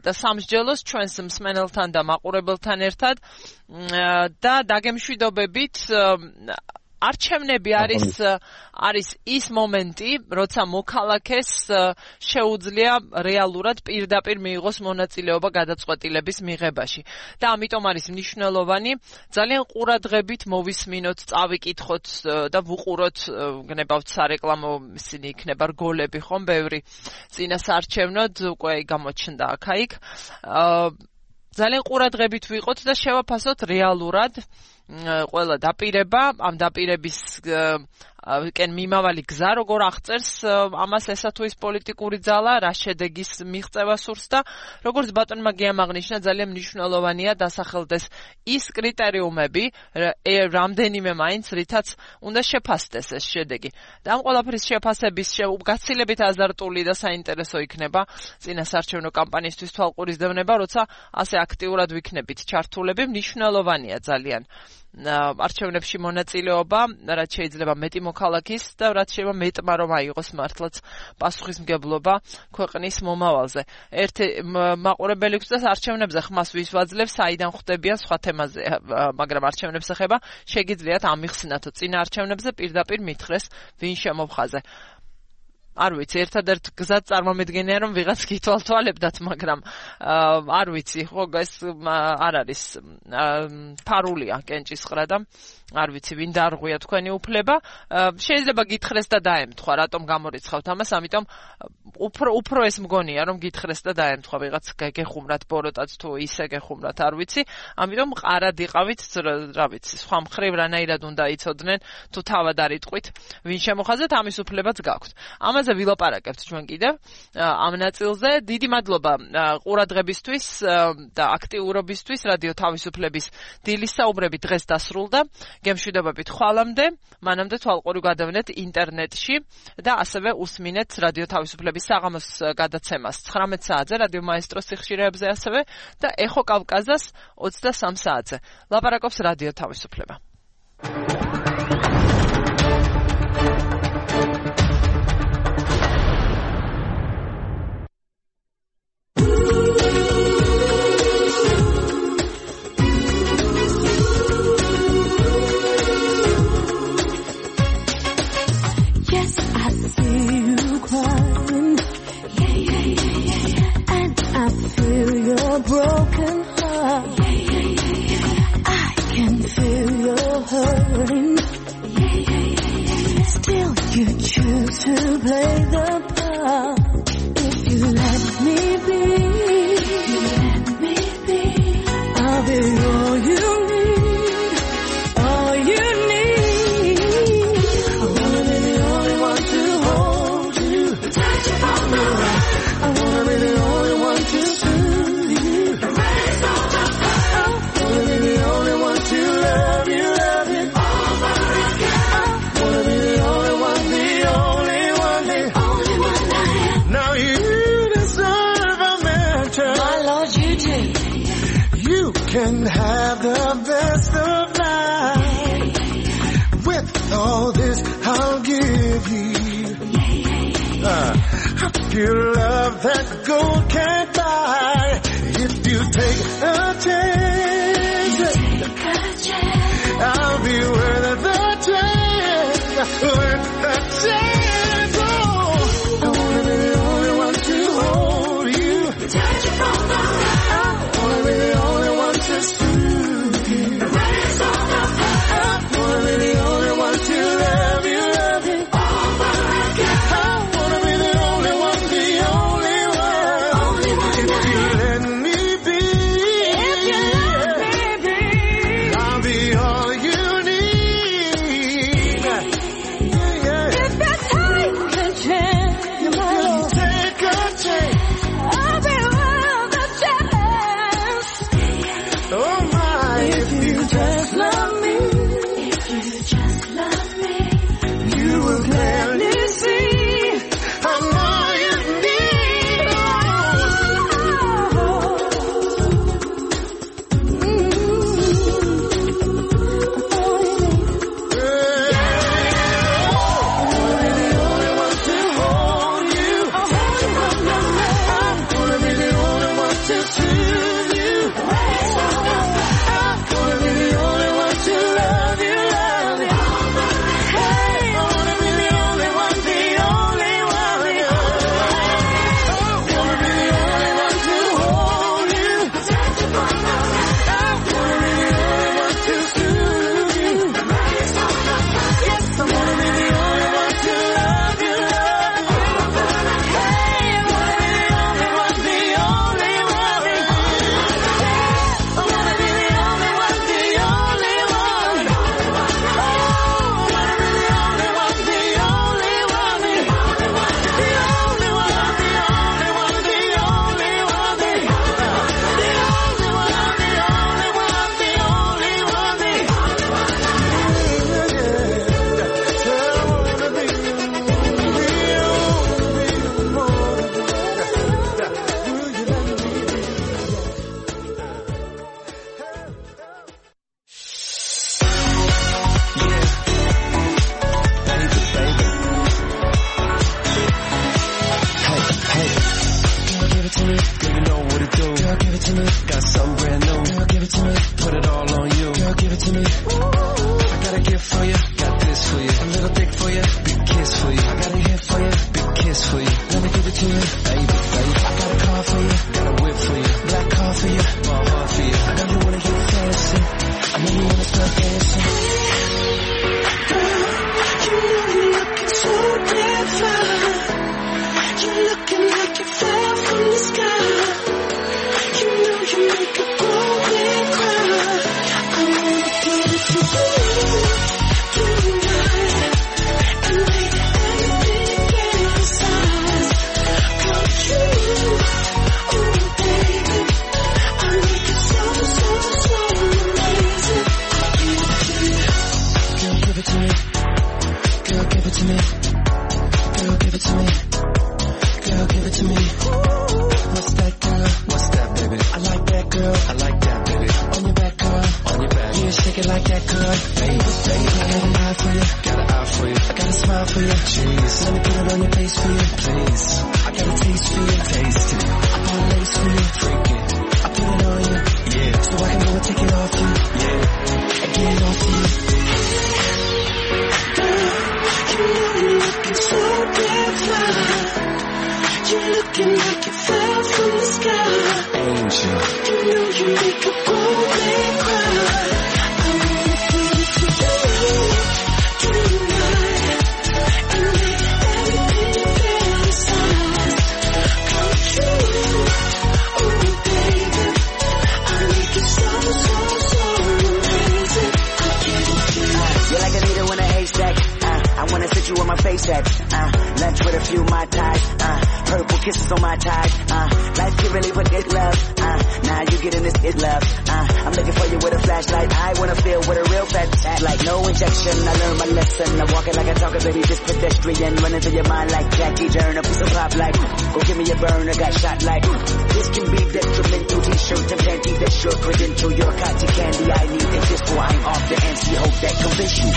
და სამსჯელოს ჩვენს მსმენელთან და მაყურებელთან ერთად და დაგემშვიდობებით არჩევნები არის ის მომენტი, როცა მოქალაქეს შეუძლია რეალურად პირდაპირ მიიღოს მონაწილეობა გადაწყვეტილების მიღებაში. და ამიტომ არის მნიშვნელოვანი ძალიან ყურადღებით მოვისმინოთ, წავიკითხოთ და ვუყუროთ, გნებავთ სარეკლამო ისინი იქნება რგოლები ხომ ბევრი წინასაარჩევნოდ უკვე გამოჩნდა აქ-იქ. ძალიან ყურადღებით ვიყოთ და შევაფასოთ რეალურად ყველა დაპირება, ამ დაპირების კენ მიმავალი გზა როგორ აღწერს ამას ესა თუ ის პოლიტიკური ძალა, რა შედეგის მიღწევა სურს და როგორც ბატონმა გიამაღნიშნა, ძალიან მნიშვნელოვანია დასახელდეს ის კრიტერიუმები, რამდენიმე მაინც რითაც უნდა შეფასდეს ეს შედეგი. და ამ ყველაფრის შეფასების გაცილებით აზარტული და საინტერესო იქნება წინასაარჩევნო კამპანიისთვის თვალყურისდევნება, როცა ასე აქტიურად ვიქნებით ჩართულები, მნიშვნელოვანია ძალიან არჩევნებში მონაწილეობა, რაც შეიძლება მეტი მოქალაქის და რაც შეიძლება მეტმა რომ აიღოს მართლაც პასუხისმგებლობა ქვეყნის მომავალზე. ერთი მაყურებელი გვწევს არჩევნებზე ხმას ვის ვაძლევს, საიდან ხვდებიან სხვა თემაზე, მაგრამ არჩევნებს ეხება, შეგიძლიათ ამიხსნათო წინა არჩევნებზე პირდაპირ მითხრეს ვინ შემოვხაზე. არ ვიცი, ერთადერთ გზად წარმომედგენია რომ ვიღაც გითვალთვალებდათ, მაგრამ არ ვიცი, ხო ეს არ არის ფარულია კენჭისყრა და არ ვიცი ვინ დაარღვია თქვენი უფლება. შეიძლება გითხრეს და დაემთხვა, რატომ გამორიცხავთ ამას, ამიტომ უფრო ეს მგონია რომ გითხრეს და დაემთხვა, ვიღაც გეხუმრათ ბოროტად თუ ისე გეხუმრათ, არ ვიცი. ამიტომ ყარად იყავით, რა ვიცი, სხვა მხრივ რანაირად უნდა იცოდნენ თუ თავად არ იტყვით ვინ შემოხაზეთ, ამის უფლებაც გაქვთ. ამაზე ვილაპარაკებთ ჩვენ კიდევ ამ ნაწილზე. დიდი მადლობა ყურადღებისთვის და აქტიურობისთვის. რადიო თავისუფლების დილის საუბრები დღეს დასრულდა. გემშვიდობებით ხვალამდე, მანამდე თვალყური გადავნეთ ინტერნეტში და ასევე უსმინეთ რადიო თავისუფლების საღამოს გადაცემას 19 საათზე რადიო მაესტროს სიხშირეებზე ასევე და ეხო კავკაზას 23 საათზე. ლაპარაკობს რადიო თავისუფლება. Broken heart. I can feel your hurting. Still you choose to play the part. If you let me be, I'll be all you need, all you need. I wanna be the only one to hold you, touch you from the right. I wanna be the only one to can have the best of life. With all this I'll give you a pure love that gold can't buy. If you take a chance, I'll be worth the chance, worth the chance. Oh, I wanna be the only one to hold you, touch you from the right. I wanna be the only one to soothe you, raise all the fire. I wanna be the only one to love you over again. I wanna be the only one, the only one. If you let me be, I'll be all you need. If you take a chance, I'll be worth the chance. Oh my, if you just love me, you will clearly see I'm all you need. Be the put it all on you. Girl, give it to me. I got a gift for you, got this for you. A little dick for you, big kiss for you. I got a hit for you, big kiss for you. Let me give it to you, baby. I got a car for you, got a whip for you. Black car for you, my heart for you. I know you wanna get fancy, I know you wanna start dancing. Girl, you know you're looking so damn fine. You're looking like you fell from the sky. You know you make a grown man cry. I wanna give it to you tonight and make everything inside come true. Oh baby, I make it so amazing. Girl, give it to me. Girl, give it to me. Girl, give it to me. Girl, give it to me. What's that, girl? What's that, baby? I like that, girl. I like that, baby. On your back, girl. On your back. You shake it like that, girl. Baby, baby. I got an eye for you. Got an eye for you. I got a smile for you. Jeez. Let me put it on your face for you, please. I got a taste for you. Taste it. I got a lace for you. Freak it. I put it on you. Yeah. So I can go and take it off you. Yeah. And get it off you. Girl, you know you're looking so damn fine. You're looking like you fell from the sky. Angel. You know you make a grown man cry. I wanna give it to you tonight and make everything fantasize come true. Oh baby, I make it so amazing. I give it to you. You're like a needle in a haystack. I wanna sit you on my face at lunch with a few my ties. Purple kisses on my ties. Life can really put this love. Now you getting this is love. I'm looking for you with a flashlight. I wanna feel with a real fat tat. Like no injection, I learned my lesson. I'm walking like a talker, baby, just pedestrian. Running through your mind like Jackie Turner. A piece of pop like, go give me a burner, got shot like. This can be detrimental. T-shirt and panties, that's your credential. You're cotton candy, I need it. This for I'm off the MC. Hope that convince you.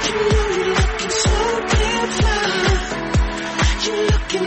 You know you're looking so damn fine. You're looking